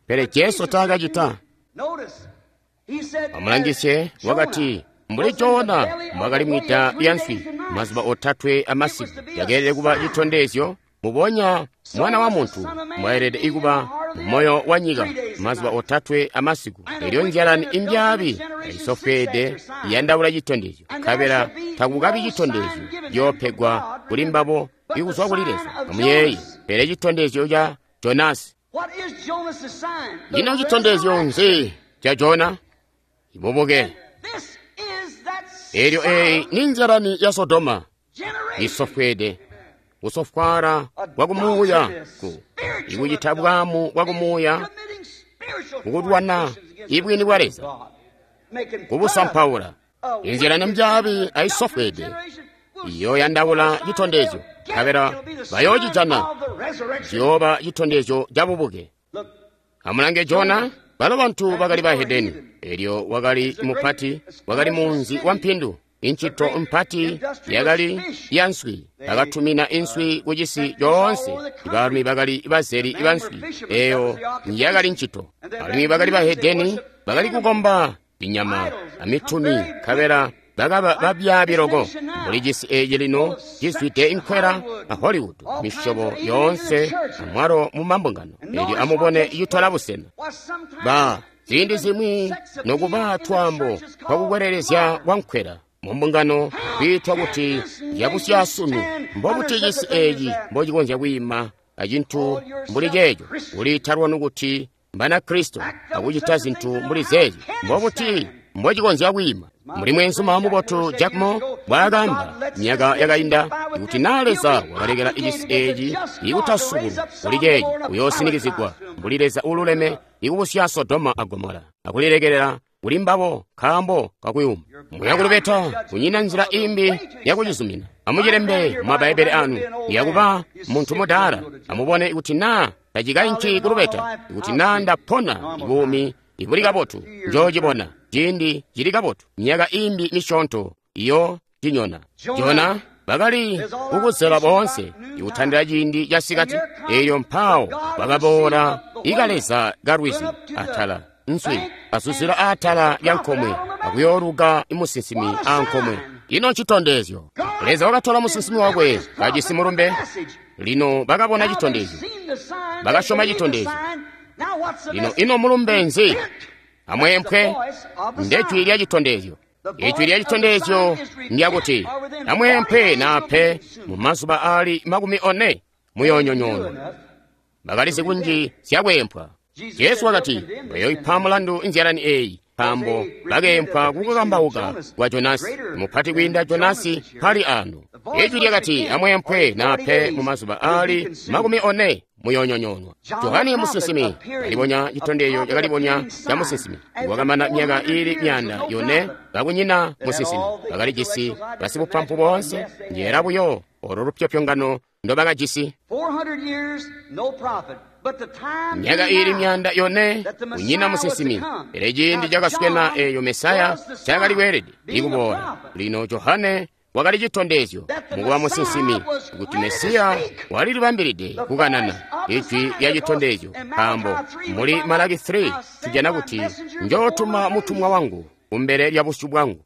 pele Jesu taakacita. Amulangisye, wakati mbuli Jona mbwakali mwida lya nswi mazuba otatwe amasiku, yakeelede kuba citondezyo mubonya Mwana wa Muntu mbwayelede ikuba mumoyo wa nyika mazuba otatwe amasiku. Elyo nzyalani imbyaabi aisofweede iyandaula citondezyo, nkabela takukabi citondezyo ciyoopegwa kuli mbabo ikuzwa kuli Leza. Amuyeeye, pele citondezyo ca Jonasi. Ino citondezyo nzi ca Jona? Ibubuke. Elyo eyi ni nzyalani ya Sodoma isofweede, kusofwaala kwa kumuuya, ikucita bwaamu bwa kumuuya, kukulwana ibwini bwa Leza, kubusampaula. Inzila mbyaabi aisofweede iyoyandaula citondezyo, nkabela bayoocijana, ciyooba citondezyo ca bubuke. Amulange Jona, balo bantu bakali bahedeni, elyo wakali mupati, wakali munzi wa mpindu. Incito mpati yakali ya nswi, bakatumina inswi ku cisi coonse. Ibaalumi bakali bazeli banswi, eyo yakali ncito. Alimwi bakali bahedeni, bakali kukomba binyama amituni, nkabela bakaba babyaabi loko. Mbuli cisi eci lino cizwide inkwela a Hollywood, misyobo yoonse amwalo mu mambungano. Elyo amubone citola busena. Ba ziindi zimwi nokuba twaambo twakukwelelezya kwa nkwela mu mbungano kwiitwa kuti yabusyasunu. Mbobuti cisi eci mbocikonzya kwiima acintu mbuli ceeco, kuliita lwanu kuti Mbanakristo akucita zintu mbuli zeezi? Mbobuti mbocikonzya kwiima? Mbuli mweenzuma mubotu Jack Moore mbwaakaamba myaka yakainda, kuti naa Leza wakalekela cisi eci ikutasubulwa kuli ceeci, uyoosinikizigwa mbuli Leza uululeme ikubusya Sodoma a Gomora akulilekelela kuli mbabo nkaambo kakuyuma. Muya kulubeta, kunyina nzila imbi yakucizumina. Amucilembe mu Mabbaibbele anu, yakuba muntu mudaala. Amubone kuti naa tacikainki kulubeta, kuti naa ndapona buumi ibuli kabotu, njoocibona ciindi cili kabotu, myaka imbi misyoonto iyo cinyona. Jona bakali kukuzela boonse ikutandila ciindi ca sikati, elyo mpaawo bakaboola ikaleza kalwizi atala nswi azuzila atala lya nkomwe akuyooluka musinsimi ankomwe. Ino ncitondezyo! Leza wakatola musinsimi wakwe kajisi mulumbe. Lino bakabona citondezyo, bakasyoma citondezyo. Lino ino mulumbe nzi? Amweempwe, ndejwi lya citondezyo. Ijwi lya citondezyo ndyakuti amweempwe nape mu mazuba aali 40 muyoonyonyoonwa. Bakalizi kunji zyakweempwa. Jesu wakati bayoipa mulandu inzyalani eyi nkaambo bakeempwa kukukambauka kwa Jonasi, mupati kwiinda Jonasi pali ano. Ijwi lyakati amweempwe nape mu mazuba aali 40 muyoonyonyoonwa. Johane musinsimi kalibonya citondezyo cakalibonya ca musinsimi. Wakamana myaka iili 400 kakunyina musinsimi. Bakalijisi basibupampu boonse, njeela buyo olo lupyopyongano ndobakajisi. Myaka iili 400 kunyina musinsimi, pele ciindi cakaswena eeyo Mesaya cakali kweelede ikuboola. Lino Johane wakali citondezyo mukuba musinsimi kuti Mesiya walilibambilide kukanana ijwi lya citondezyo, nkaambo muli Malaki 3 tujana kuti njootuma mutumwa wangu kumbele lya busyu bwangu.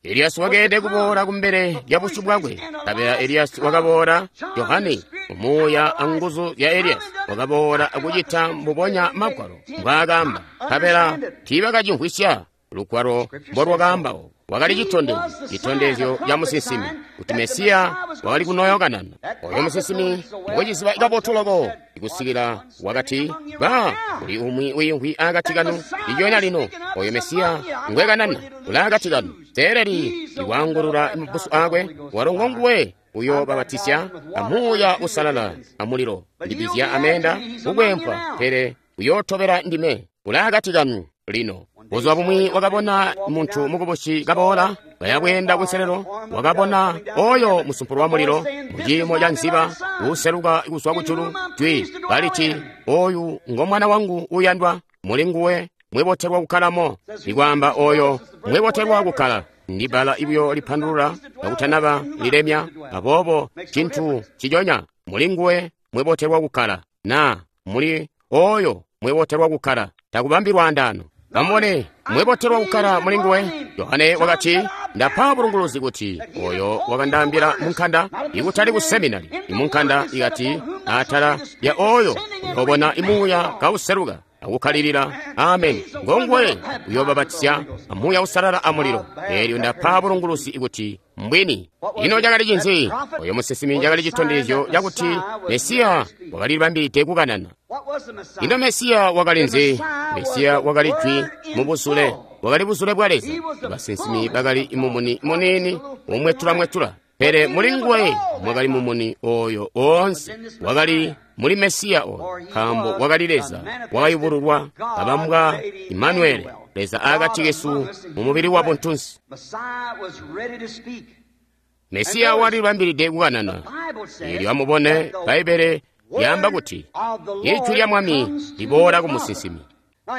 Eliyasi wakeelede kuboola kumbele lya busyu bwakwe. Nkabela Eliyasi wakaboola. Johane umuuya anguzu zya Eliyasi wakaboola akucita mbubonya Magwalo mbwaakaamba. Nkabela tiibakacimvwisya lugwalo mbolwakaamba obo. Wakali citondezyo, citondezyo ca musinsimi kuti Mesiya wakali kunoyokanana. Oyo musinsimi ngweciziba kabotu loko ikusikila wakati, ba kuli umwi wiimvwi akati kanu ijona lino, oyo Mesiya ngwekanana uli akati kanu. Teeleli ikwaangulula mabusu akwe, walo ngonguwe uyoobabatisya amuuya usalala amulilo, ndibizya ameenda kukwempwa, pele uyootobela ndime, uli akati kanu lino. Buzuba bumwi wakabona muntu mukubusi kaboola kaya bweenda kunselelo, wakabona oyo musumpulo wa mulilo muciimo ca nziba uuseluka kuzwa kujulu, jwi kaliti, oyu ngo mwana wangu uuyandwa, muli nguwe mwebotelwa kukkalamo. Ikwaamba oyo mwebotelwa kukkala ndi bbala buyo lipandulula kakutanaba lilemya, aboobo cintu ciconya muli nguwe mwebotelwa kukkala, naa muli oyo mwebotelwa kukkala, takubambi lwaandaano. Amubone, mwebotelwa kukkala muli nguwe. Yohane wakati, ndapa bulunguluzi kuti oyo wakandaambila munkanda, ikutali ku seminari, imunkanda ikati atala ya oyo uyobona imuuya kauseluka akukkalilila. Ameni. Ngonguwe uyoobapatizya amuuya uusalala amulilo. Eelyo ndapa bulunguluzi kuti mbwini. Ino cakali cinzi? Oyo musinsimi cakali citondezyo cakuti Mesiya wakalibambilide kukanana. Ino Mesiya wakali nzi? Mesiya wakali jwi mubuzule, wakali buzule bwa Leza. Basinsimi bakali mumuni muniini umwetula-mwetula, pele muli nguwe mwakali mumuni oyo oonse. Wakali muli Mesiya oyo, nkaambo wakali Leza wakayubululwa kabambwa Imanueli, Leza akati kesu mu mubili wa buntunsi. Mesiya walibambilide kukanana. Eelyo amubone, Bbaibbele lyaamba kuti ijwi lya Mwami liboola ku musinsimi.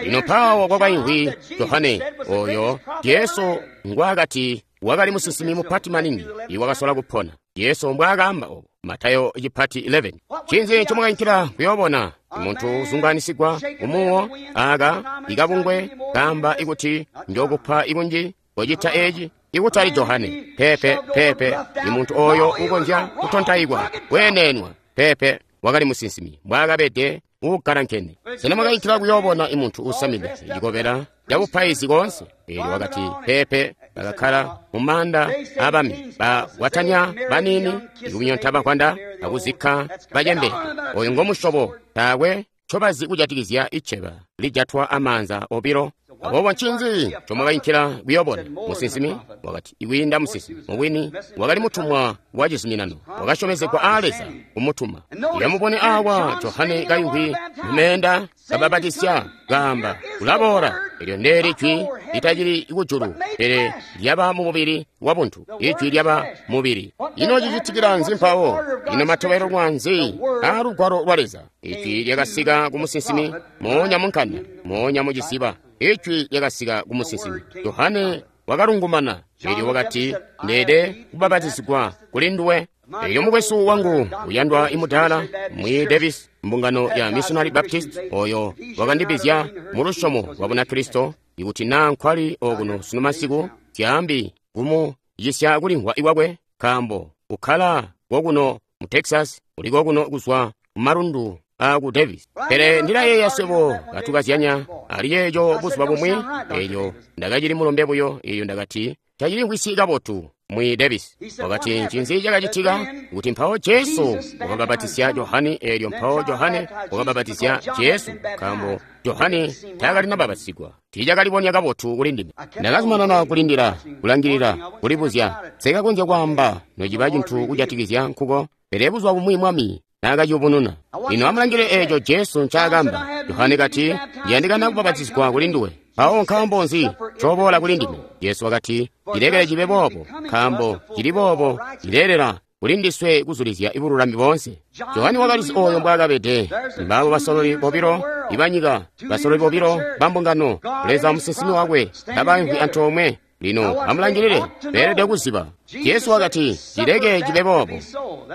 Lino mpaawo kwakaimvwi Johane oyo Jesu ngwaakati wakali musinsimi mupati maningi iwakasola kupona. Jesu mbwaakaamba obo, Matayo cipati 11. Ncinzi ncomwakainkila kuyoobona? Muntu uzungaanisigwa kumuwo aka ikabungwe kaamba ikuti njokupa ikunji kocita eci? Ikutali Johane. Pepe, pepe, imuntu oyo ukonzya kutontaikwa, kweenenwa. Pepe, wakali musinsimi mbwaakabede uukalankene. Sena mwakainkila kuyoobona imuntu uusamide cikobela cabupaizi koonse? Eelyo wakati, pepe, bakakkala mu maanda aabami, bakwatanya baniini, ikunyonta bakwanda akuzikka bacembele. Oyo ngomusyobo taakwe ncobazi kujatikizya iceba lijatwa amaanza obilo. Aboobo ncinzi ncomwakainkila kuyoobona? Musinsimi? Wakati, ikwiinda musinsimi. Mubwini, wakali mutumwa wa cizuminano, wakasyomezegwa aa Leza kumutuma. Yamubone awa Johane kaimvwi mumeenda kabapatizya, kaamba, ulaboola. Eelyo ndeeli jwi litacili kujulu, pele lyaba mu mubili wa buntu. Ijwi lyaba mubili. Ino cicitikila nzi mpawo? Ino matobelelwa nzi aa lugwalo lwa Leza? Ijwi lyakasika ku musinsimi moonya mu nkanda, moonya mu ciziba. Ijwi lyakasika ku musinsimi. Johane wakalungumana, eelyo wakati, ndeede kubapatizigwa kuli nduwe. Eelyo mukwesu wangu uyandwa imudaala Mwi Davis, mbungano ya Missionary Baptist, oyo wakandibizya mu lusyomo lwa Bunakristo, ikuti naa nkwali okuno sunu masiku, syaambi kumucisya kulimvwa ikwakwe, nkaambo ukkala kokuno mu Texas, uli kokuno kuzwa kumalundu aku Davis. Pele ndilayeeya swebo katukazyanya ali ceeco buzuba bumwi. Eelyo ndakacili mulombe buyo, eelyo ndakati tacilimvwisyi kabotu. Mwi Davis wakati, ncinzi cakacitika? Kuti mpawo Jesu wakabapatizya Johane, eelyo mpawo Johane wakabapatizya Jesu, nkaambo Johane taakalinabapatizigwa. Tiicakalibonya kabotu kuli ndime. Ndakazumanana kulindila, kulangilila, kulibuzya. Sekakonzya kwaamba nociba cintu kujatikizya nkuko, pele buzuba bumwi Mwami naakaciyubununa. Lino amulangile eeco Jesu ncaakamba. Johane kati, ndiyandikana kubapatizigwa kuli nduwe. Mpawo nkaambo nzi ncoboola kuli ndime? Jesu wakati, cilekele cibe boobo, nkaambo cili boobo cileelela kuli ndiswe kuzulizya ibululami boonse. Johane wakalizi oyo mbwaakabede. Mbaabo basololi bobilo ibanyika, basololi bobilo bambungano, Leza musinsimi wakwe, kabaimvwi antoomwe. Lino amulangilile, beelede kuziba. Jesu wakati, cileke cibe boobo,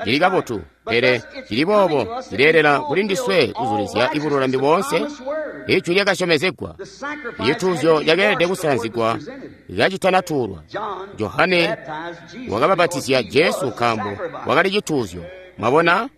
cili kabotu, pele cili boobo cileelela kuli ndiswe kuzulizya ibululami boonse. Ijwi lyakasyomezegwa, icituuzyo cakeelede kusanzigwa kacitanatuulwa. Johane wakabapatizya Jesu nkaambo wakali cituuzyo. Mwabona?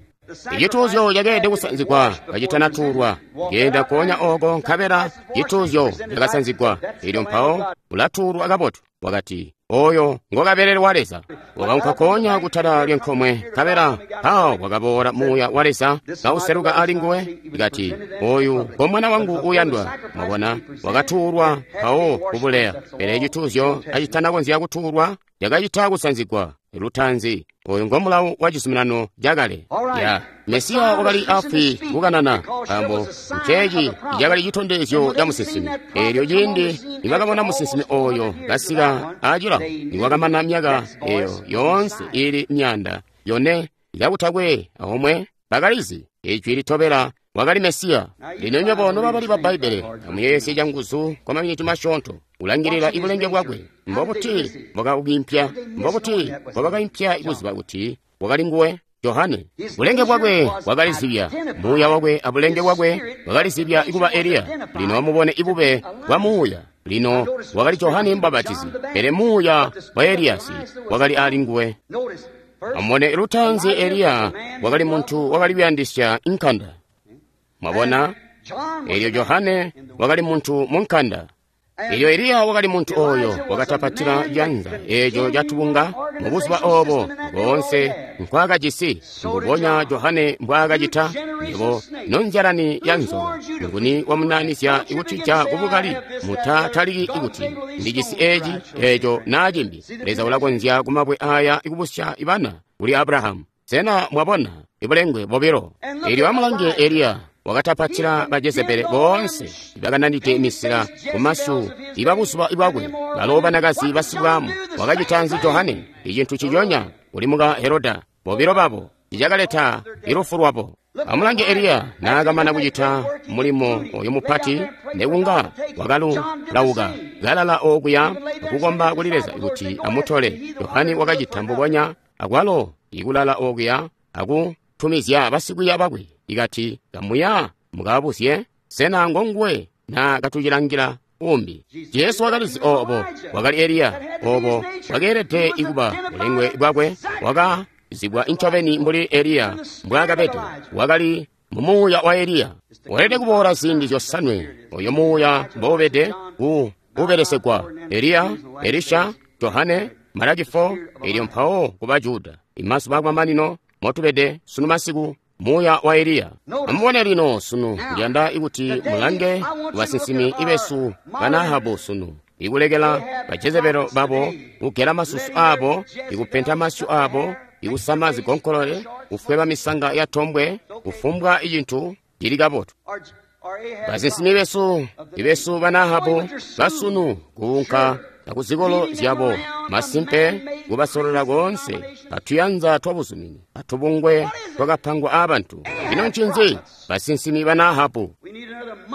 Icituuzyo cakeelede kusanzigwa kacitanatuulwa. Genda koonya oko nkabela cituuzyo cakasanzigwa, eelyo mpawo ulatuulwa kabotu. Wakati, oyo ngokabelele wa Leza. Wakaunka koonya kutala lyenkomwe, nkabela mpawo wakaboola muuya wa Leza kauseluka ali nguwe. Ikati, oyu ngo mwana wangu uyandwa. Mwabona, wakatuulwa mpawo kubuleya. Pele cituuzyo kacitanakonzya kutuulwa, cakacita kusanzigwa lutanzi. Oyu ngo mulawu wa cizuminano cakale. Ya Mesiya wakali afwi kukanana, nkaambo nceeci cakali citondezyo ca musinsimi. Eelyo ciindi nibakabona musinsimi oyo kasika acilawo, niwakamana myaka eyo yoonse ili 400 kakutakwe omwe, bakalizi ijwi litobela wakali Mesiya. Lino nywebo nobabali ba Bbaibbele, amuyeeyesye canguzu kwa maminiti masyoonto kulangilila ibulenge bwakwe. Mbobuti mbwakaukimpya? Mbobuti mbwabakaimpya kuziba kuti wakali nguwe? Johane, bulenge bwakwe bwakalizibya, muuya wakwe abulenge bwakwe bwakalizibya kuba Eliya. Lino amubone ibube bwa muuya. Lino wakali Johane Mubapatizi, pele muuya wa Eliyasi wakali ali nguwe. Amubone lutanzi, Eliya wakali muntu wakali kuyandisya inkanda. Mwabona? Elyo Johane wakali muntu mu nkanda. Elyo Eliya wakali muntu oyo wakatapatila janza eeco catubunga mu buzuba obo boonse nkwaakajisi, mbubonya Johane mbwaakacita. Nywebo nonzyalani ya nzoka, nguni wamunaanizya kutija kubukali? Mutataliki kuti ndijisi eeci, eeco naa cimbi. Leza ulakonzya kumabwe aya kubusya bana kuli Abrahamu. Sena mwabona ibulengwe bobilo? Elyo amulange Eliya wakatapatila ba Jezebele boonse bakananide misila kumasu ibabuzuba bwakwe, balo banakazi basibwamu. Wakacita nzi Johane? Icintu ciconya kuli muka Heroda. Bobilo babo icakaleta ilufu lwabo. Amulange Eliya naakamana kucita mulimo oyu mupati, nekunga wakalulauka kalala okuya kukomba kuli Leza kuti amutole. Johane wakacita mbubonya, akwalo ikulala okuya akutumizya basikwiiya bakwe ikati, kamuya mukabuzye, sena ngonguwe na katucilangila umbi? Jesu wakalizi obo wakali Eliya, obo wakeelede ikuba bulengwe bwakwe, wakazibwa incobeni mbuli Eliya mbwaakabede. Wakali mumuuya wa Eliya. Weelede kuboola ziindi zyosanwe oyo muuya mboubede ku ubelesegwa: Eliya, Elisha, Johane, Malaki 4, elyo mpawo kuba Juda. Imazuba akumamanino motubede sunu masiku, muuya wa Eliya. Amubone lino sunu, ndiyanda kuti mulange basinsimi ibesu bana Ahabu sunu, ikulekela ba Jezebelo babo kugela masusu abo, ikupenta masyu abo, ikusama zigonkolole, kufweba misanga ya tombwe, kufumbwa icintu cili kabotu. Basinsimi besu ibesu bana Ahabu basunu kuunka akuzikolo zyabo, masimpe kubasolola koonse atuyanza twabuzumini atubungwe twakapangwa aabantu. Ino ncinzi? Basinsimi bana Ahabu.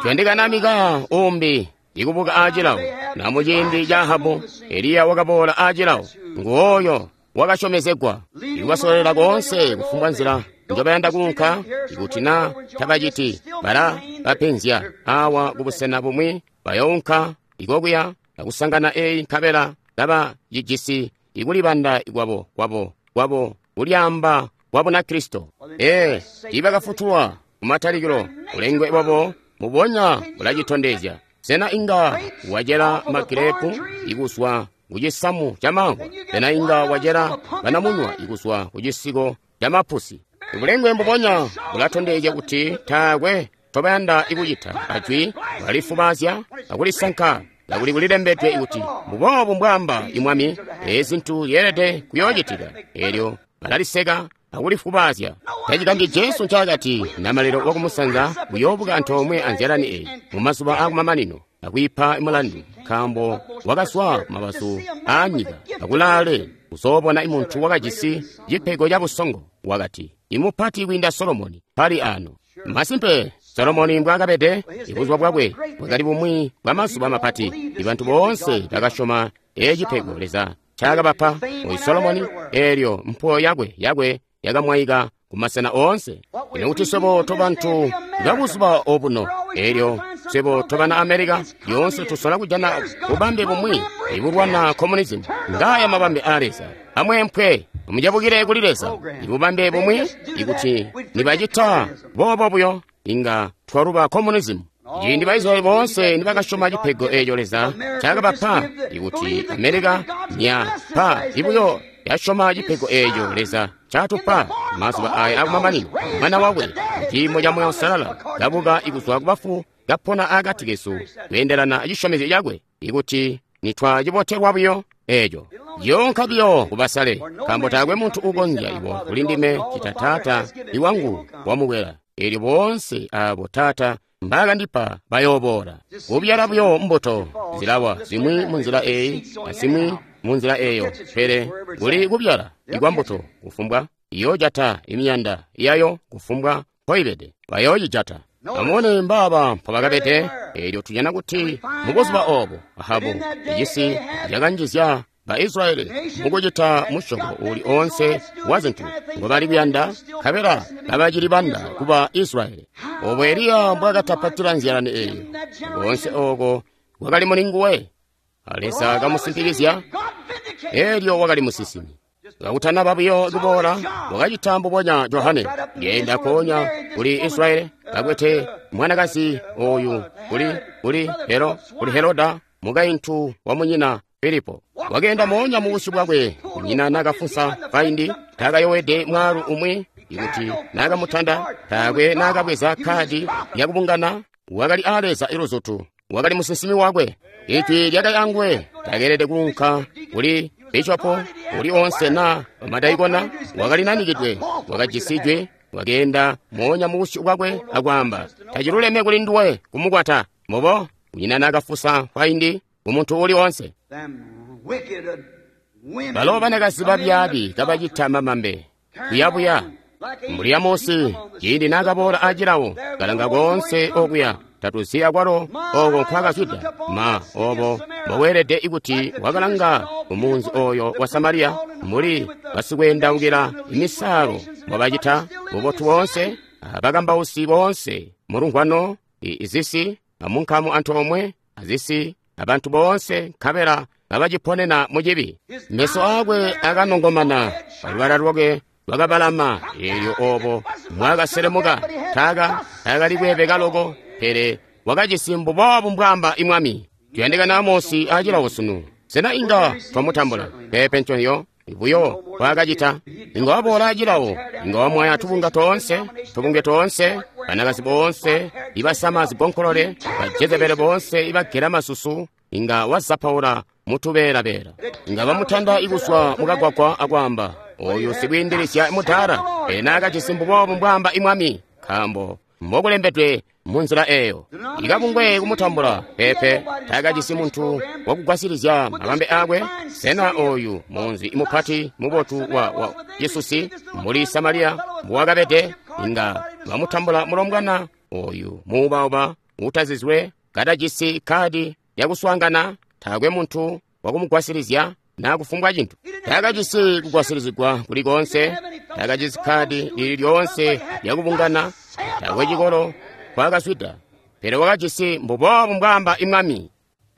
Tuyandikana Mikaya umbi ikubuka aacilawo. Na muciindi ca Ahabu, Eliya wakaboola aacilawo. Nguoyo wakasyomezegwa ikubasololela koonse kufumbwa nzila njobayanda kuunka. Ikuti na tabaciti, bala bapenzya awa kubusena bumwi, bayounka ikokuya akusangana eyi, nkabela kaba cijisi ikulibanda kwabo kwabo kwabo kulyaamba kwa Bunakristo. Ee, tiibakafutulwa kumatalikilo. Bulengwe bwabo mubonya bulacitondezya. Sena inga wacela magirepu ikuzwa kucisamu ca mangwa? Sena inga wacela banamunywa ikuzwa kucisiko ca mapusi? Bulengwe mbubonya bulatondezya kuti taakwe tobayanda ikucita ajwi, balifubazya akulisanka. Kakuli kulilembedwe kuti, mbuboobu mbwaamba imwami, ezi zintu zyeelede kuyoocitika. Elyo balaliseka akulifubazya. Tacikanji Jesu ncaakati, namalelo wakumusanza uyoobuka antoomwe anzyalani eyi mumazuba aakumamanino akwiipa mulandu, nkaambo wakazwa kumabazu aanyika akulaale kuzoobona imuntu wakajisi cipego ca busongo. Wakati, imupati kwiinda Solomoni pali ano. Masimpe, Solomoni mbwaakabede, ibuzuba bwakwe bwakali bumwi bwa mazuba mapati. Ibantu boonse bakasyoma ecipego Leza ncaakabapa oyu Solomoni, eelyo mpuwo yakwe yakwe yakamwaika kumasena oonse. Ino kuti swebo tobantu babuzuba obuno, eelyo swebo tobana Amerika yoonse tusola kujana bubambe bumwi ibulwana communism. Ngaaya mabambe aa Leza. Amweempwe, mucebukile kuli Leza. Ibubambe bumwi, ikuti nibacita boobo buyo, inga twaluba communism. Ciindi ba Israyeli boonse nibakasyoma cipego eeco Leza ncaakabapa, ikuti Amerika nyapa ibuyo yasyoma cipego eeco Leza ncaatupa mazuba aya akumamanino, Mwana wakwe muciimo ca Muuya Uusalala kabuka ikuzwa kubafu, kapona akati kesu kweendelana acisyomezyo cakwe, ikuti nitwacibotelwa buyo eeco yoonka biyo kubasale, nkaambo taakwe muntu uukonzya ibo kuli ndime cita Taata iwangu wamukwela. Eelyo boonse aabo Taata mbaakandipa bayooboola. Kubyala buyo mbuto zilawa, zimwi munzila eyi azimwi munzila eyo, pele kuli kubyala ikwa mbuto kufumbwa iyoojata imiyanda yayo kufumbwa mpoibede, bayoocijata. Amubone mbaaba mpobakabede. Eelyo tujana kuti mubuzuba obo Ahabu icisi cakanjizya ba Israyeli mukucita musyobo uuli oonse wa zintu ngobali kuyanda, nkabela kabacili banda kuba Israyeli. Obo Eliya mbwaakatapatila nzyalani eeyo, koonse ooko kwakali muli nguwe. Leza kamusimpikizya, eelyo wakali musinsimi. Kakutanaba buyo kuboola, wakacita mbubonya Johane. Ngeenda konya kuli Israeli, kakwete mwanakazi oyu kuli Heroda, mukaintu wa munyina Filipo. Wakeenda moonya mu busyu bwakwe, kunyina nakafunsa kaindi, takayowede mwaalu umwi, ikuti nakamutanda, taakwe nakabweza kadi yakubungana, wakali a Leza iluzutu, wakali musinsimi wakwe. Ijwi lyakali anguwe, takeelede kuunka kuli bishopo uli onse na bamadaikona, wakali nanikidwe, wakajisi jwi, wakeenda moonya mu busyu bwakwe akwaamba, taciluleme kuli nduwe kumukwata. Mbobo, kunyina nakafusa kaindi kumuntu uli onse. Balo banakazi babyaabi kabacita mamambe kuyabuya mbuli ya Mose ciindi nakaboola acilawo kalanga koonse okuya tatuzi akwalo oko nkwakazwida ma obo mboweelede ikuti wakalanga kumunzi oyo wa Samariya mbuli basikwendaukila imisaalo mbobacita bubotu boonse abakambausi boonse mulungwano izisi amunkamu antoomwe azisi abantu boonse nkabela babaciponena mucibi. Meso akwe akanongomana, balubala lwakwe lwakabalama, eelyo obo mwakaselemuka taakali kweebeka loko, pele wakajisi mbuboobu mbwaamba imwami. Tuyandikana Amosi acilawo sunu. Sena inga twamutambula? Peepe nconyo buyo wakacita. Inga waboola acilawo, inga wamwaya tubunga toonse, tubunge toonse, banakazi boonse ibasama zibonkolole, bajezebele boonse ibagela masusu, inga wazapaula mutubeela-beela. Inga bamutanda ikuswa mukagwagwa akwaamba, oyu sikwiindilisya mutala, pele naakajisi mbuboobu mbwaamba imwami, nkaambo mbokulembedwe munzila eyo. Ikabungwe kumutambula, peepe, taakajisi muntu wakugwasilizya mabambe akwe. Sena oyu munzi mupati mubotu wa Yesusi mbuli Samariya mbuwakabede, inga bamutambula mulombwana oyu muubauba utazizwe katajisi kadi yakuswaangana, taakwe muntu wakumugwasilizya na kufumbwa cintu. Taakajisi kugwasilizigwa kuli koonse, taakajisi kadi lili lyoonse lyakubungana, taakwe cikolo kwakazwida, pele wakajisi mbuboobu mbwaamba imwami.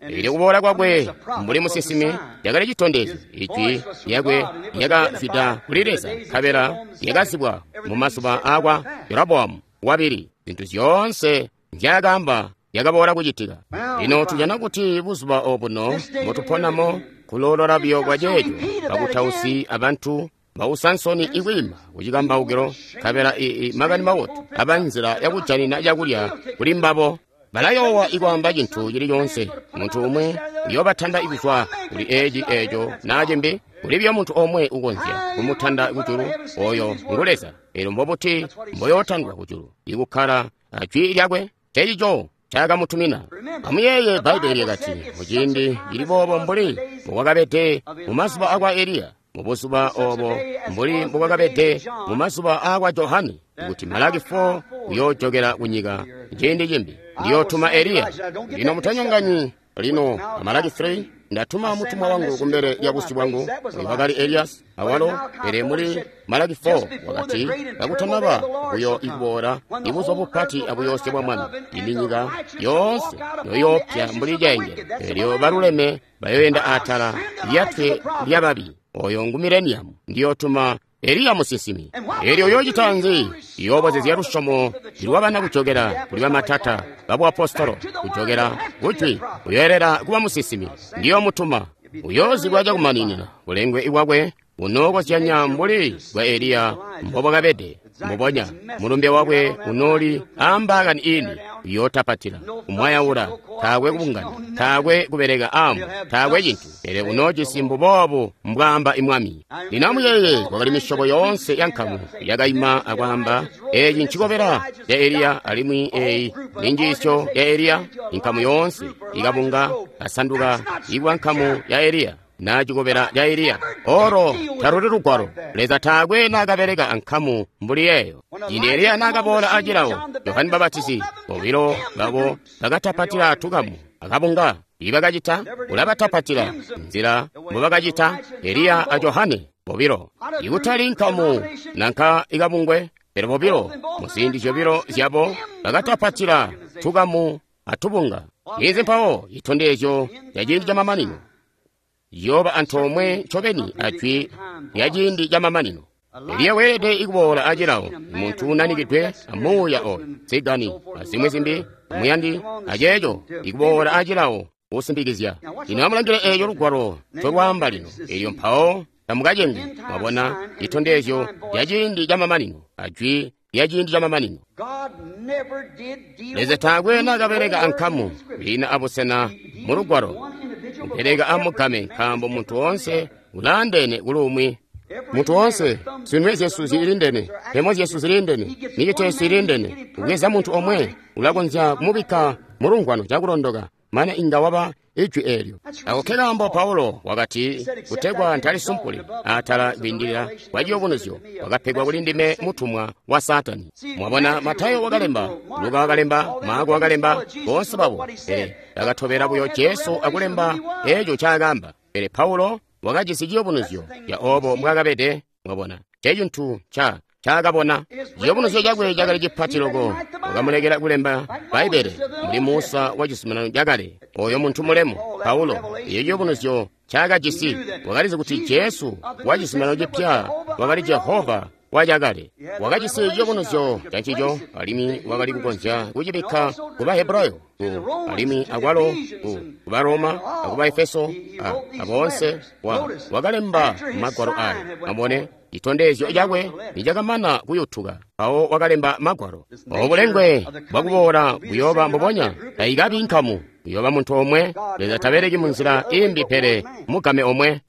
Eelyo kuboola kwakwe mbuli musinsimi lyakali citondezyo, ijwi lyakwe lyakazwida kuli Leza, nkabela lyakazibwa mu mazuba aakwa Jeroboamu wabili. Zintu zyoonse nzyaakaamba lyakaboola kucitika. Lino tujana kuti buzuba obuno mbotuponamo kuloolola buyo kwa ceeco, bakutausi abantu bausa nsoni ikwiima kucikambaukilo, nkabela makani mabotu aba nzila yakujanina cakulya kuli mbabo. Balayoowa ikwaamba cintu cili coonse. Muntu umwe uyoobatanda ikuzwa kuli eci eco naa cimbi, kuli buyo muntu omwe ukonzya kumutanda kujulu, oyo ngu Leza. Eelyo mbobuti mboyootandwa kujulu ikukkala ajwi lyakwe? Cecico cakamutumina. Amuyeeye Bbaibbele lyakati, muciindi cili boobo mbuli mbokwakabede mu mazuba akwa Eliya, mubuzuba obo mbuli mbokwakabede mu mazuba akwa Johane, kuti Malaki 4 uyoojokela kunyika ciindi cimbi. Ndiyootuma Eliya. Lino mutanyonganyi lino Malaki 3, ndatuma mutumwa wangu kumbele lya busyu bwangu, uyu wakali Eliyasi awalo, pele muli Malaki 4 wakati kakutanaba buyo ikuboola ibuzuba bupati abuyoosya bwa Mwami, ini nyika yoonse yoyoopya mbuli caengelo, eelyo baluleme bayoyenda atala lyatwe lyababi. Oyo ngu mileniyamu. Ndiyootuma Eliya musinsimi. Eelyo uyoocita nzi? Iyoobozezya lusyomo lwabana kujokela kuli bamatata babuapostolo, kujokela kujwi, uyoelela kuba musinsimi. Ndiyoomutuma. Uyoozibwa cakumaninina bulengwe bwakwe unookozyanya mbuli bwa Eliya mbobwakabede. Mbubonya mulumbe wakwe unooli aambaakani ini, uyootapatila, kumwayaula, taakwe kubungana, taakwe kubeleka aamwi, taakwe cintu, pele unoojisi mbuboobu mbwaamba imwami. Lino amuyeeye, kwakali misyobo yoonse ya nkamu yakaima akwaamba, eeci ncikobela ca Eliya alimwi eeyi ni njiisyo ya Eliya. Inkamu yoonse ikabunga kasanduka ikuba nkamu ya Eliya na cikobela ca Eliya. Olo taluli lugwalo. Leza taakwe naakabeleka ankamu mbuli yeeyo. Ciindi Eliya naakaboola acilawo, Johane Mbapatizi bobilo babo bakatapatila tukamu akabunga. Ibakacita ulabatapatila nzila mbubakacita Eliya a Johane bobilo, ikutali nkamu nanka ikabungwe, pele bobilo muziindi zyobilo zyabo bakatapatila tukamu atubunga. Izi mpawo citondezyo ca ciindi camamanino. Ciyooba antoomwe ncobeni a Jwi lya ciindi camamanino. Eliya weelede kuboola acilawo, muntu unanikidwe a Muuya oyo, tsigani, azimwi zimbi, muyandi, aceeco ikuboola acilawo kusimpikizya. Lino amulangile eeco Lugwalo ncolwaamba lino, elyo mpawo tamukacengi. Mwabona citondezyo ca ciindi camamanino a Jwi lya ciindi camamanino. Leza taakwe naakabeleka ankamu lina abusena mu Lugwalo, kubeleka amugame, nkaambo muntu woonse ulaandeene kuli umwi. Muntu woonse, zinwe zyesu zilindene, mpemo zyesu zilindene, micito yesu ilindene. Kubweza muntu omwe ulakonzya kumubikka mulungwano cakulondoka, mane inga waba ijwi eelyo. Ako kekaambo Paulo wakati, kutegwa ntalisumpuli atala kwiindilila kwa ciyubunuzyo, wakapegwa kuli ndime mutumwa wa Saatani. Mwabona, Matayo wakalemba, Luka wakalemba, Maako wakalemba, boonse babo, pele bakatobela buyo Jesu akulemba eeco ncaakaamba. Pele Paulo wakajisi ciyubunuzyo ya obo mbwaakabede. Mwabona, ncecintu ncaakabona. Ciyubunuzyo cakwe cakali cipati loko, wakamulekela kulemba Bbaibbele mbuli Musa wa Cizuminano Cakale, oyo muntu mulemu. Paulo, eyo ciyubunuzyo ncaakajisi, wakalizi kuti Jesu wa Cizuminano Cipya wakali Jehova wa Cakale. Wakajisi ciyubunuzyo cancico, alimwi wakali kukonzya kucibikka ku Bahebrayo, alimwi akwalo ku Baroma, aku Baefeso, aboonse. Wakalemba magwalo ayo. Amubone, citondezyo cakwe nicakamana kuyutuka, mpawo wakalemba magwalo. Obu bulengwe bwakuboola buyooba mbubonya, taikabi nkamu, uyooba muntu omwe. Leza tabeleki munzila imbi pele mugame omwe.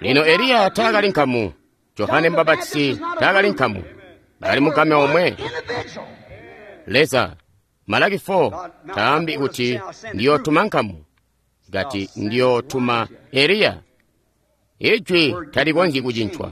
Lino Eliya taakali nkamu, Johane Mubapatizi taakali nkamu, bakali mugame omwe. Leza, Malaki 4 taambi kuti ndiyootuma nkamu, kati ndiyootuma Eliya. Ijwi talikonzyi kucincwa.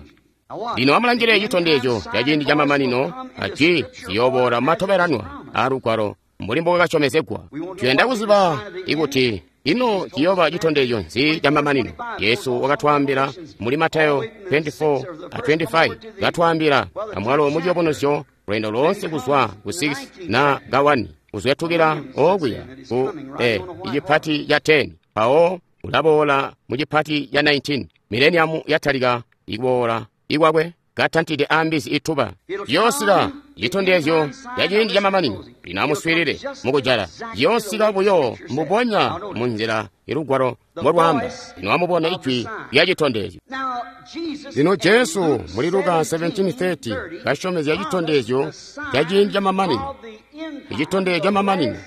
Lino amulangile citondezyo ca ciindi camamanino a Jwi ziyooboola matobelanwa a Lugwalo mbuli mbokakasyomezegwa. Tuyanda kuziba ikuti ino ciyooba citondezyo nzi camamanino. Yesu wakatwaambila muli Matayo 24 a 25, katwaambila amwalo mu ciyubunuzyo lweendo loonse kuzwa ku 6 na ka 1 kuzwetukila okuya ku icipati ca 10, mpawo ulaboola mu cipati ca 19. Mileniamu yatalika ikuboola ikwakwe katantide ambizi ituba. Ciyoosika citondezyo ca ciindi camamanino. Lino amuswiilile mukujala. Ciyoosika buyo mbubonya munzila ilugwalo mbolwaamba. Lino amubone ijwi lya citondezyo. Lino Jesu muli Luka 17:30 kasyomezya citondezyo ca ciindi camamanino. Icitondezyo camamanino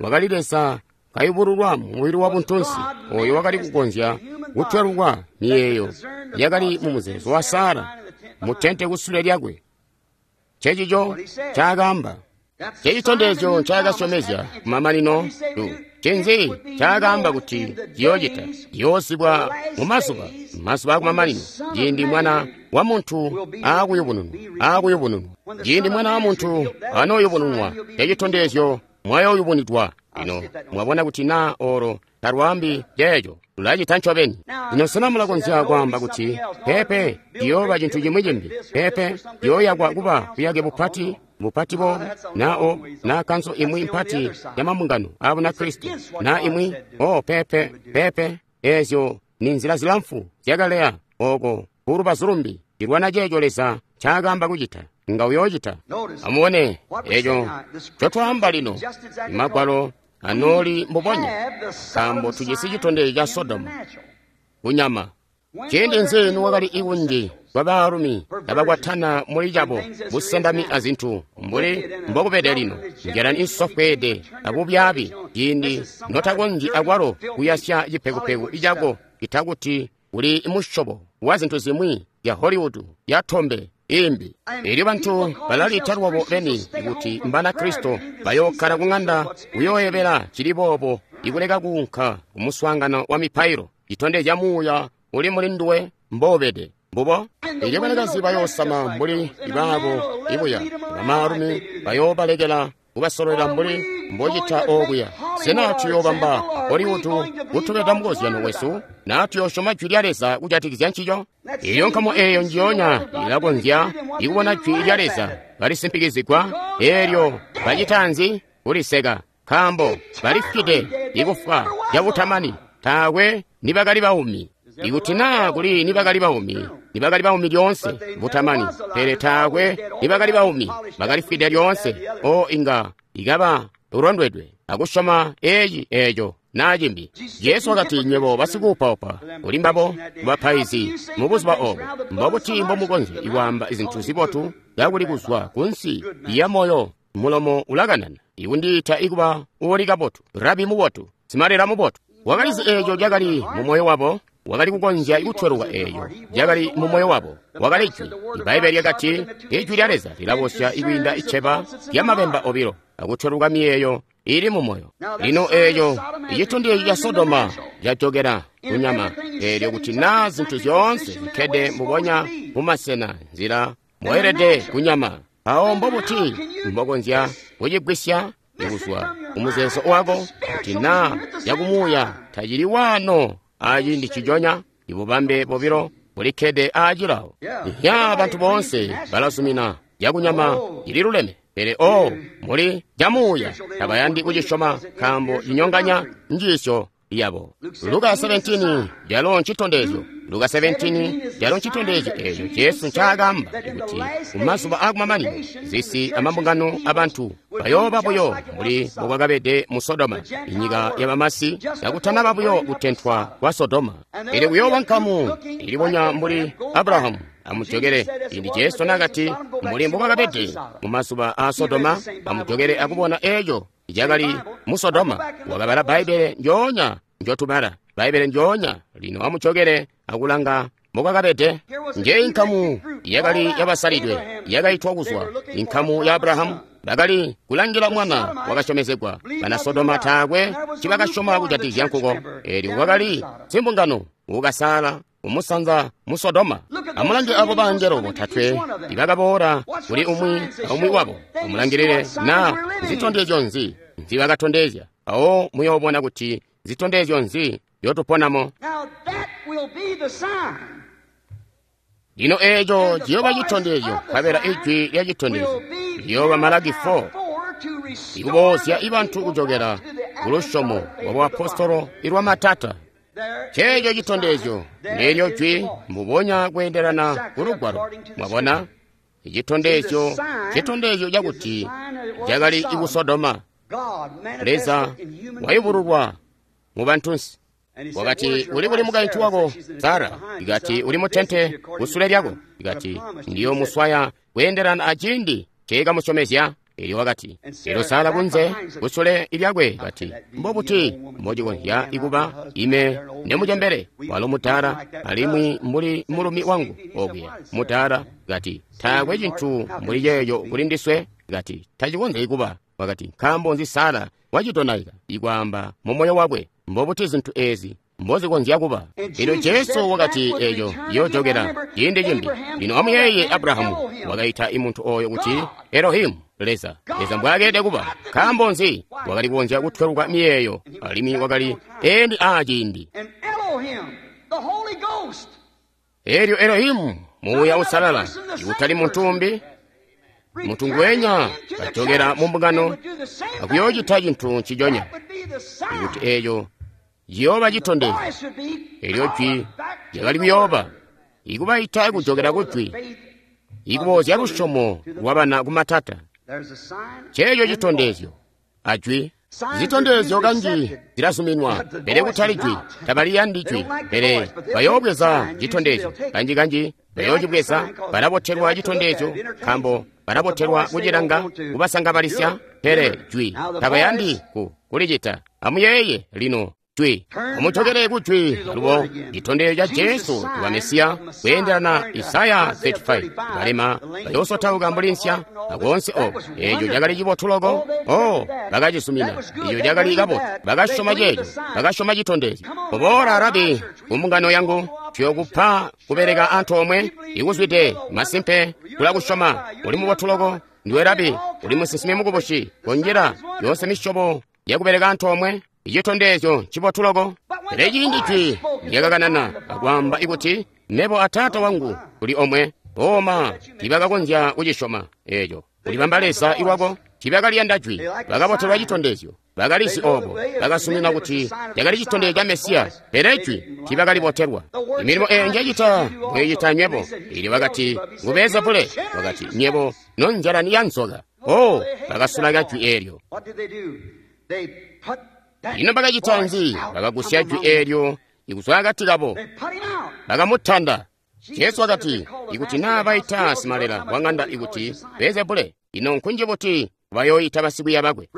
wakali Leza kayubululwa mubili wa buntunsi, oyo wakali kukonzya kutwelukwa miyeeyo yakali mu muzeezo wa Sara mutente kusule lyakwe. Ncencico ncaakaamba. Ncecitondezyo ncaakasyomezya kumamanino. Ncinzi ncaakaamba kuti ciyoocita? Ciyoosibwa mu mazuba akumamanino, ciindi Mwana wa Muntu aakuyubununwa. Ciindi Mwana wa Muntu anooyubununwa, ncecitondezyo mwayooyubunidwa. Lino mwabona kuti naa olo talwaambi ceeco, lulacita ncobeni. Lino sena mulakonzya kwaamba kuti peepe ciyooba cintu cimwi cimbi, peepe ciyooyakwa kuba buyake bupati bupati boobu, naa obu, naa kanso imwi mpati ya mambungano aa Bunakristo, naa imwi o peepe peepe? Eezyo ni nzila zilamfu zyakaleya oko kulubazu lumbi cilwana ceeco Leza ncaakaamba kucita. Nga uyoocita. Amubone eco ncotwaamba lino. Magwalo anooli mbubonya, nkaambo tujisi citondezyo ca Sodomu kunyama. Ciindi nzi niwakali ikunji kwa baalumi abakwatana muli cabo busendami azintu mbuli mbokubede lino, ngelani isofweede abubyaabi, ciindi notakonzyi akwalo kuyasya cipekupeku cako itakuti kuli musyobo wa zintu zimwi ya Hollywood ya tombe imbi. Elyo bantu balaliita lwabo beni kuti mbana Kristo, bayookkala ku ŋanda kuyooyebela cili boobo ikuleka kuunka kumuswaangano wa mipailo. Citondezya muuya uli muli nduwe mboobede. Mbubo. Elyo banakazi bayoosama mbuli baabo ibuya, bamaalumi bayoobalekela kubasololela mbuli mbocita oobuya. Sena tuyoobamba Hollywood kutubeda mukozyano wesu, naa tuyoosyoma Jwi lya Leza kujatikizya ncico? Elyo nkamu eeyo njionya ilakonzya ikubona Jwi lya Leza kalisimpikizigwa, eelyo bacita nzi? Kuliseka, nkaambo balifwide ikufwa cabutamani. Taakwe nibakali baumi. Ikuti naa kuli nibakali baumi, nibakali baumi lyoonse butamani, pele taakwe nibakali baumi, bakalifwide lyoonse. O inga ikaba ulondwedwe akusyoma eci eeco naa cimbi. Jesu wakati, nywebo basikuupaupa kuli mbabo bapaizi mubuzuba obo, mbobuti mbomukonzya kwaamba zintu zibotu kakuli kuzwa kunsi ya moyo mulomo ulakanana? Ikundiita ikuba uuli kabotu, rabi mubotu, simalela mubotu. Wakalizi eeco cakali mu moyo wabo. Wakali kukonzya kutweluka eeco cakali mu moyo wabo. Wakali jwi. Ibbaibbele lyakati, ijwi lya Leza lilabosya ikwiinda iceba lyamabemba obilo, akutweluka miyeeyo ili mu moyo. Lino eeco icitondezyo ca Sodoma cajokela kunyama, eelyo kuti naa zintu zyoonse zikkede mbubonya mumasena nzila moyelede kunyama, awo mbobuti mbokonzya kucigwisya kuzwa kumuzeezo wako kuti naa yakumuuya tacili waano aciindi cijonya? Ibubambe bobilo bulikkede aacilawo. Ya bantu boonse balazumina yakunyama ililuleme, pele o muli jamuuya tabayandi kucisyoma nkaambo cinyonganya njiisyo yabo. Luka 17 yalo ncitondezyo. Luka 17 yalo ncitondezyo eeco Jesu ncaakaamba kuti kumazuba aakumamanino zisi amambungano abantu bayooba buyo mbuli mbokwakabede mu Sodoma, inyika yabamasi kakutanaba buyo kutentwa kwa Sodoma. Pele kuyooba nkamu ilibonya mbuli Abrahamu. Amujokele ciindi Jesu naakati mbuli mbokwakabede mumazuba aa Sodoma, amujokele akubona eeco cakali mu Sodoma. Wakabala Bbaibbele njoonya njotubala, Bbaibbele njoonya. Lino amujokele akulanga mbokwakabede. Njeyi nkamu yakali yabasalidwe yakaitwa kuzwa, inkamu ya Abrahamu. Bakali kulangila mwana wakasyomezegwa. Bana Sodoma taakwe cibakasyoma kujatikizya nkuko. Eelyo kwakali simbungano ukasaala umusanza mu Sodoma. Amulange abo bangelo botatwe ibakaboola kuli umwi aumwi wabo. Amulangilile naa zitondezyo nzi nzibakatondezya. Awo muyoobona kuti zitondezyo nzi nzyotuponamo. Lino eeco ciyooba citondezyo, nkabela ijwi lya citondezyo liyooba Malaki 4, ikuboozya ibantu kujokela kulusyomo lwa buapostolo ilwa matata. Ceeco citondezyo nelyo jwi mbubonya kweendelana ku Lugwalo. Mwabona? Icitondezyo, citondezyo cakuti cakali iku Sodoma. Leza wayubululwa mu bantunsi. Wakati, uli kuli mukaintu wako Sara? Ikati, uli mutente kusule lyako. Ikati, ndiyo muswaya kweendelana aciindi ceekamusyomezya. Elyo wakati, elyo Sara kunze kusule lyakwe. Kati, mbobuti mbocikonzya ikuba ime nemucembele, walo mudaala, alimwi mbuli mulumi wangu okuya mudaala? Kati, taakwe cintu mbuli ceeco kuli ndiswe. Kati, tacikonzyi kuba. Wakati, nkaambo nzi Sara wacidonaika ikwaamba mu moyo wakwe, mbobuti zintu eezi mbozikonzya kuba? Lino Jesu wakati eeco yoojokela ciindi cimbi. Lino amuyeeye, Abrahamu wakaita imuntu oyo kuti Elohimu, Leza. Leza mbwaakeelede kuba. Nkaambo nzi? Wakali kukonzya kutweluka miyeeyo, alimwi wakali endi aaciindi. Eelyo Elohimu, Muuya Usalala, ikutali muntu umbi, muntu ngwenya kajokela mu mbungano akuyoocita cintu nciconya. Ikuti eeco ciyooba citondezyo, eelyo jwi lyakali kuyooba ikubaita kujokela kujwi, ikuboozya lusyomo lwabana kumatata. Ceeco citondezyo ajwi. Zitondezyo kanji zilazuminwa, pele kutali jwi. Tabaliyandi jwi, pele bayoobweza citondezyo. Kanji-kanji bayoocibweza, balabotelwa citondezyo, nkaambo balabotelwa kucilanga kubasangabalisya, pele jwi tabayandi kulicita. Amuyeeye lino jwi. Amujokele kujwi alubo citondezyo ca Jesu wa Mesiya kweendelana Isaya 35. Balema bayoosotauka mbuli nsya akoonse oko. Eeco cakali cibotu loko. Oh, bakacizumina. Eeco cakali kabotu. Bakasyoma ceeco. Bakasyoma citondezyo. Koboola Rabi kumbungano yangu, tuyookupa kubeleka antoomwe ikuzwide masimpe kulakusyoma. Uli mubotu loko. Ndiwe Rabi, uli musinsimi mukubusi. Konjila yoonse misyobo yakubeleka antoomwe. Icitondezyo cibotu loko. Pele ciindi jwi lyakakanana akwaamba ikuti mebo a Taata wangu tuli omwe, oma tiibakakonzya kucisyoma eeco. Kulibamba Leza iwako, tiibakaliyanda jwi, bakabotelwa citondezyo. Bakalizi obo. Bakasumina kuti cakali citondezyo ca Mesiya, pele jwi tiibakalibotelwa. Milimo eyo njecita mwiicita nywebo. Elyo bakati, ngu Beelzebule. Wakati, nywebo nonzyalani ya nzoka. Oh, bakasulaka jwi eelyo. Ino bakacita nzi? Bakagusya jwi eelyo ikuzwa akati kabo. Bakamutanda. Jesu wakati, ikuti naa baita simalela wa ng'anda ikuti Beelzebule, ino nkunji buti bayooita basikwiiya bakwe?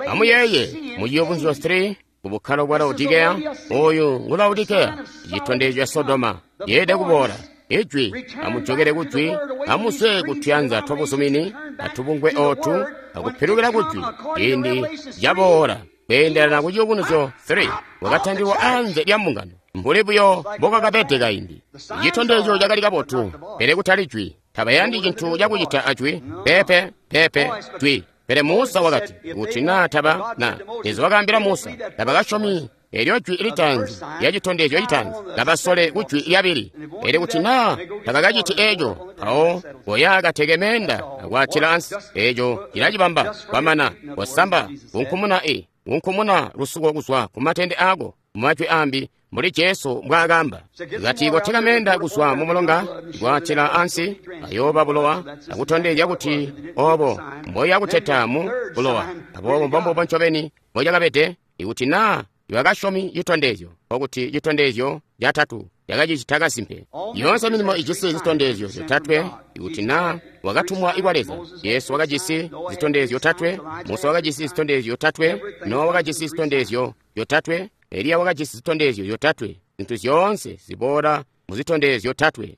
Amuyeeye mu Ciyubunuzyo 3 ku bukkalo bwa Laodikeya, oyu ngu Laodikeya, citondezyo ca Sodoma, yeelede kuboola. Ijwi, amujokele ku jwi, amuzwe ku tuyanza twabuzumini atubungwe ootu, akupilukila ku jwi, ciindi caboola. Kweendelana ku Ciyubunuzyo 3, wakatandilwa anze lya mbungano, mbuli buyo mbokakabede kaindi. Citondezyo cakali kabotu, pele kutali jwi. Tabayandi cintu cakucita ajwi, peepe, peepe, jwi. Pele Musa wakati, kuti naa taba na Leza wakaambila Musa, tabakasyomi elyo jwi litaanzi lya citondezyo citaanzi, tabasole ku jwi lyabili. Pele kuti naa tabakaciti eeco, mpawo koya kateke meenda akwaatila ansi. Eeco cilacibamba kwamana kosamba kunkumuna kunkumuna lusuko kuzwa ku matende aako. Mumajwi ambi, mbuli Jesu mbwaakamba, kati koteka meenda kuzwa mu mulonga kwaatila ansi, ayooba bulowa, akutondezya kuti obo mboya kuteta mu bulowa. Aboobo mbombubo ncobeni mbocakabede. Ikuti naa bakasyomi citondezyo, nkokuti citondezyo catatu cakacicita kasimpe. Yoonse milimo ijisi zitondezyo zyotatwe. Ikuti naa wakatumwa kwa Leza, Yesu wakajisi zitondezyo zyotatwe, Musa wakajisi zitondezyo zyotatwe, Nowa wakajisi zitondezyo zyotatwe, Eliya wakajisi zitondezyo zyotatwe. Zintu zyoonse ziboola mu zitondezyo zyotatwe.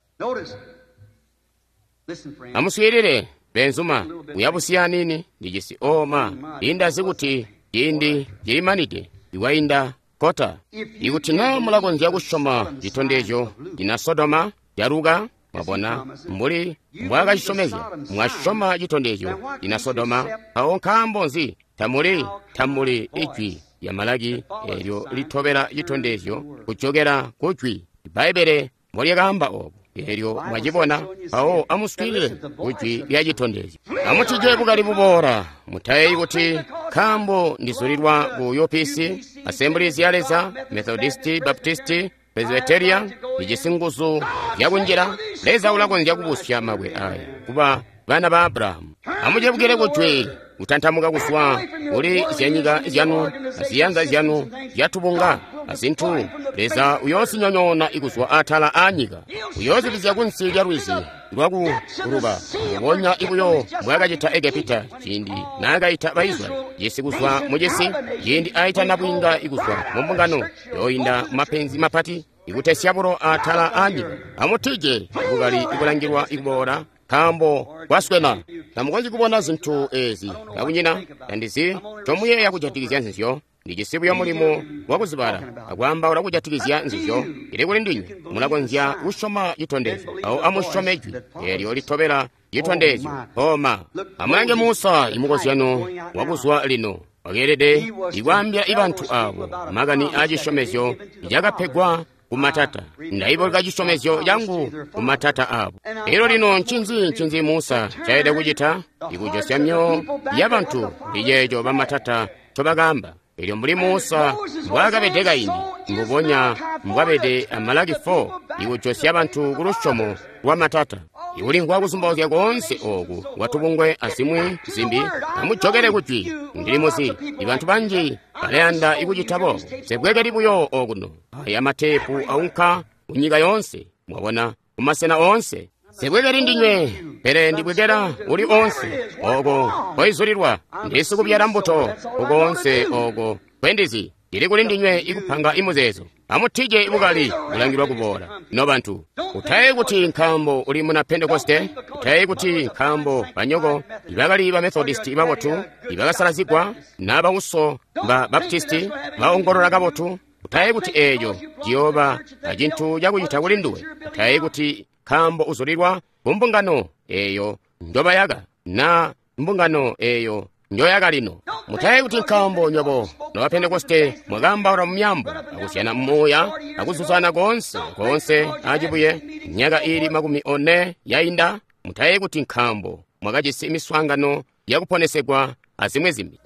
Amuswiilile, beenzuma, kuyabusiya nini ndijisi oma indazi kuti ciindi cilimanide iwainda kota. Ikuti naa mulakonzya kusyoma citondezyo cina Sodoma caluka, mwabona mbuli mbwaakacisyomezya, mwasyoma citondezyo cina Sodoma, mpawo nkaambo nzi tamuli ijwi lya Malaki eelyo litobela citondezyo kujokela ku jwi Bbaibbele mbolyakaamba oobo. Eelyo mwacibona, mpawo amuswiilile ku jwi lya citondezyo. Amutije bukali buboola. Mutayeeyi kuti nkaambo ndizulilwa ku UPC, Assemblies ya Leza, Methodisti, Baptisti, Presbyteria, ndijisi nguzu zyakunjila. Leza ulakonzya kubusya mabwe aya kuba bana ba Abrahamu. Amucebukile ku jwi, kutantamuka kuzwa kuli zyanyika zyanu, aziyanza zyanu zyatubunga, azintu. Leza uyoosinyonyoona ikuzwa atala aanyika, uyoozibizya kunsi lya lwizi lwakuluba, mbubonya ibuyo mbwaakacita Egepita ciindi naakaita Baisraeli cisi kuzwa mucisi, ciindi aita nabwiinga ikuzwa mu mbungano yooinda mapenzi mapati ikutesya bulo atala aanyika. Amutije bukali ibulangilwa ikuboola, nkaambo kwaswena. Tamukonzyi kubona zintu eezi kakunyina tandizi ncomuyeeya kujatikizya nzizyo. Ndijisi buyo mulimo wakuzibala akwaambaula kujatikizya nzizyo. Ili kuli ndinywe, mulakonzya kusyoma citondezyo, mpawo amusyome jwi eelyo litobela citondezyo. Oma amulange Musa, imukozyano wakuzwa lino, wakeelede ikwaambila ibantu aabo makani aacisyomezyo cakapegwa kumatata. Ndaiboleka cisyomezyo cangu kumatata aabo. Elyo lino ncinzi Musa ncaelede kucita? Ikujosya myoyo yabantu ndiceeco bamatata ncobakaamba. Elyo mbuli Musa mbwaakabede kaindi, mbubonya mbwabede a Malaki 4, ikujosya bantu ku lusyomo lwa matata. Ikulimvwa kuzumbauzya koonse ooku kwatubungwe azimwi zimbi, amujokele ku jwi. Ndili muzi ibantu banji balayanda ikucita boobo. Sebwekeli buyo okuno. Aya mateepu aunka kunyika yoonse, mwabona, kumasena oonse. Sebwekeli ndinywe, pele ndibwekela uli oonse oko koizulilwa. Ndisikubyala mbuto kukoonse oko kwendizi. Ndili kuli ndinywe ikupanga imuzeezo. Amutije ibukali bulangilwa kuboola. Nobantu, utayeeyi kuti nkaambo uli muna Pentekoste, utayeeyi kuti nkaambo banyoko ibakali ba Methodisti babotu, ibakasalazigwa, nabauso ba Baptisti baongolola kabotu, utayeeyi kuti eeco ciyooba acintu cakucita kuli nduwe. Utayeeyi kuti nkaambo uzulilwa kumbungano eeyo njobayaka, na mbungano eeyo njoyaka lino. Mutayeeyi kuti nkaambo nywebo noba Pentekoste mwakaambaula mu myaambo, akuzyana muuya, akuzuzana koonse koonse acibuye myaka iili 40 yainda. Mutayeeyi kuti nkaambo mwakajisi miswaangano yakuponesegwa azimwi zimbi.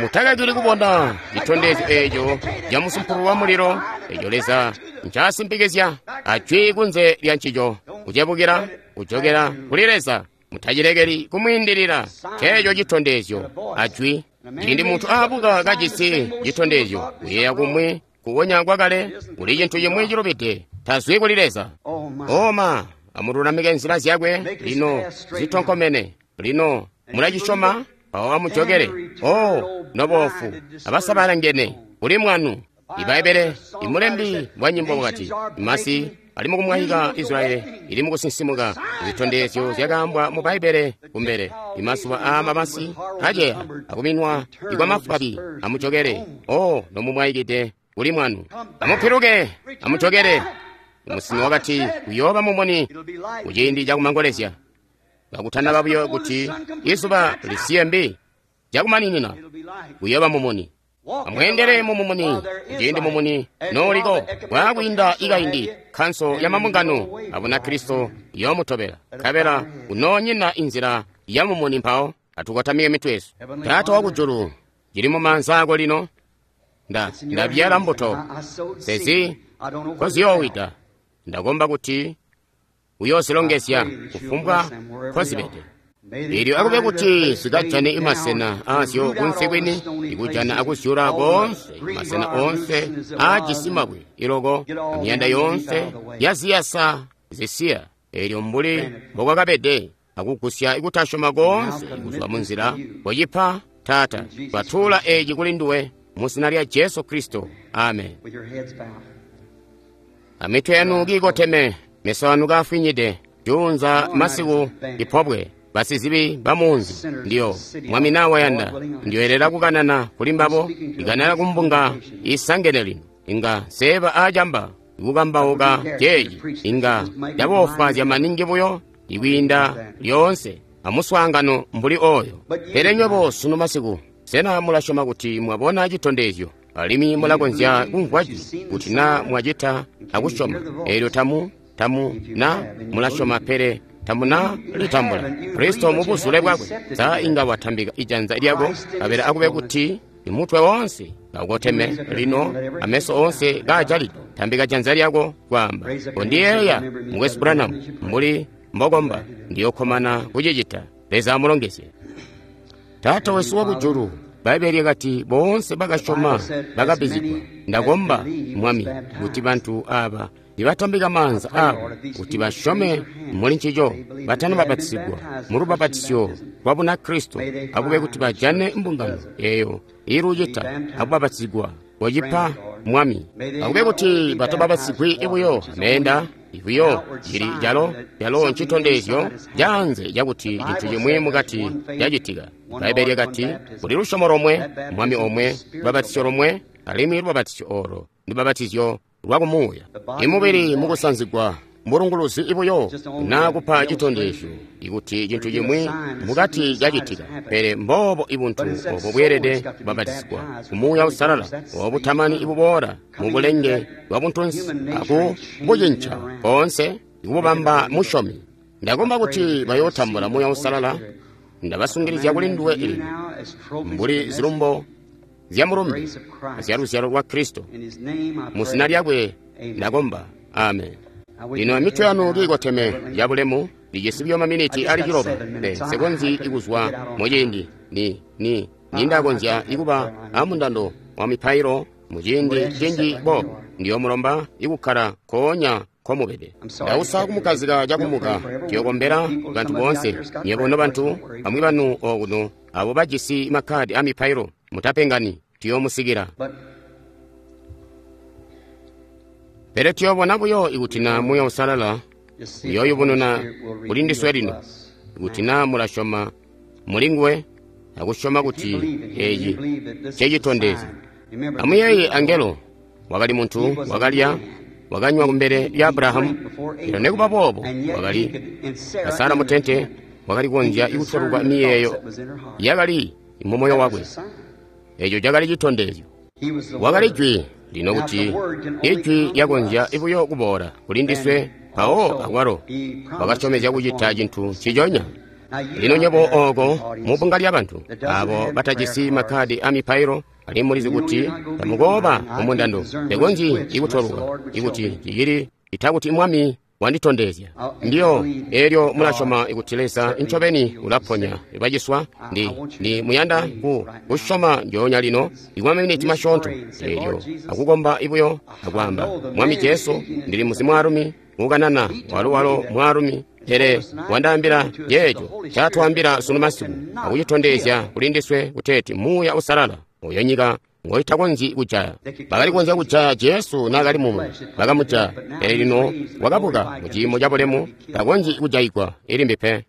Mutakakili kubona citondezyo eeco ca musumpululu wa mulilo eco Leza ncasimpikizya ajwi kunze lya ncico, kucebukila kujokela kuli Leza. Mutacilekeli kumwiindilila ceeco citondezyo ajwi. Ciindi muntu aabuka kajisi citondezyo, kuyeeya kumwi kukonya kwakale kuli cintu cimwi cilubide, tazwi kuli Leza. Oma, amululamike nzila zyakwe lino zitonkomene. Lino mulacisyoma, mpawo amujokele. O noboofu abasabalangene kuli mwanu. Ibbaibbele imulembi wa nyimbo wakati, masi ali mukumwayika Israeli ili mukusinsimuka. Zitondezyo zyakaambwa mu Bbaibbele kumbele. Imazuba aa mabasi aceya akuminwa ikwa mafwabi. Amujokele, o nomumwayikide kuli mwanu. Amupiluke, amujokele. Musinsimi wakati kuyooba mumuni kuciindi cakumangolezya, kakutanaba buyo kuti izuba lisiye mbi cakumaninina, kuyooba mumuni. Amweendele mu mumuni ciindi mumuni nooliko. Bwaakwiinda ikaindi, kkanso ya mambungano a Bunakristo iyoomutobela, nkabela kunoonyina inzila ya mumuni. Mpawo atukotamike mitwe yesu. Taata wakujulu, cili mumaanza ako lino. Ndabyala mbuto sezi nkoziyoowida. Ndakomba kuti uyoozilongezya kufumbwa nkozibede. Elyo akube kuti zikajane imasena aazyo kunsi kwini, ikujana akuzyula koonse masena oonse aajisi mabwe iloko, amiyanda yoonse yaziyasa zisiya. Elyo mbuli mbokwakabede, akugusya ikutasyoma koonse kuzwa munzila. Kocipa, Taata, twatuula eci kuli nduwe mu zina lya Jesu Kristo. Amen. Amitwe yanu kiikoteme, meso anu kaafwinyide. Juunza masiku ipobwe basizibi bamunzi ndiyo Mwami nawayanda ndiyoelela kukanana kuli mbabo, ikanana kumbunga isangene lino. Inga seeba aacamba ikukambauka ceeci, inga caboofwaazya maningi buyo ikwiinda lyoonse amuswaangano mbuli oyo. Pele nywebo sunu masiku, sena mulasyoma kuti mwabona citondezyo alimwi mulakonzya kumvwa jwi? Kuti na mwacita akusyoma, eelyo tamu na mulasyoma, pele tamuna litambula Kristo mu buzule bwakwe. Sa inga watambika ijanza lyako, kabela akube kuti imutwe wonse kaukoteme lino, ameso onse kaajalide. Tambika janza lyako kwaamba, kondiyeeya Mukwesu Branham, mbuli mbokomba, ndiyokkomana kucicita. Leza amulongezye. Taata wesu wakujulu, Bbaibbele lyakati boonse bakasyoma bakabizigwa. Ndakomba, Mwami, kuti bantu aaba nibatambika maanza aabo kuti basyome muli ncico, batanababatizigwa mu lubabatizyo lwa Bunakristo, akube kuti bajane mbungano eeyo iilucita akubabatizigwa. Kocipa, Mwami. Akube kuti batababatizigwi buyo ameenda ibuyo cili calo calo ncitondezyo caanze cakuti cintu cimwi mukati cacitika. Bbaibbele lyakati kuli lusyomo lomwe, Mwami omwe, lubabatizyo lomwe, alimwi lubabatizyo oolo ndubabatizyo lwakumuuya. Imubili mukusanzigwa mbulunguluzi ibuyo naa kupa citondezyo ikuti cintu cimwi mukati cacitika. Pele mboobo ibuntu obo bweelede kubabatizigwa ku Muuya Uusalala obutamani ibuboola mu bulenge bwa buntunsi aku bucinca koonse ikububamba musyomi. Ndakomba kuti bayootambula Muuya Uusalala. Ndabasungilizya kuli nduwe lino mbuli zilumbo zya mulumbe zya luzyalo lwa Kristo. Mu zina lyakwe ndakomba. Amen. Lino amitwe yanu kiikoteme yabulemu, lijisi buyo maminiti ali 9. Nsekonzyi ikuzwa muciindi nindakonzya ikuba amundando wa mipailo muciindi cinji boobo. Ndiyomulomba ikukkala nkoonya nkomubede. Ndausa kumukazika cakumuka. Ndiyokombela bantu boonse, nywebo nobantu bamwi banu okuno abo bajisi makkadi a mipailo. Mutapengani, tuyomusikila. Pele tuyobona buyo ikuti na Muuya Uusalala uyooyubununa kuli ndiswe lino, ikuti na mulasyoma mulinguwe akusyoma kuti eeci ncecitondezyo. Amuyeeye angelo wakali muntu wakalya wakanywa kumbele lya Abrahamu, elo nekuba boobo wakali Sara mutente wakali kukonzya kutweluka miyeeyo yakali mumoyo wakwe. Eeco cakali citondezyo. Wakali jwi lino kuti ijwi lyakonzya buyo kuboola kuli ndiswe, mpawo akwalo wakasyomezya kucita cintu nciconya. Lino nywebo ooko mubbunga lyabantu abo batajisi makkadi a mipailo, alimwi mulizi kuti tamukooba mumundando, ndekonzyi ikutoluka ikuti cicili itakuti Mwami wanditondezya. Ndiyo elyo mulasyoma ikuti Leza ncobeni ulaponya baciswa. Ndi muyanda kusyoma njoonya lino ikwa maminiti masyoonto elyo akukomba ibuyo akwaamba, Mwami Jesu, ndili muzi mwaalumi ukanana walo mwaalumi, pele wandaambila yeeco ncaatwaambila sunu masiku akucitondezya kuli ndiswe kuteeti Muuya Uusalala oyo nyika ngoitakonzyi kujaya. Bakali kukonzya kujaya Jesu naakali mumwe, bakamujaya, pele lino wakabuka mu ciimo cabulemu, takonzyi kujayigwa ilimbi pe.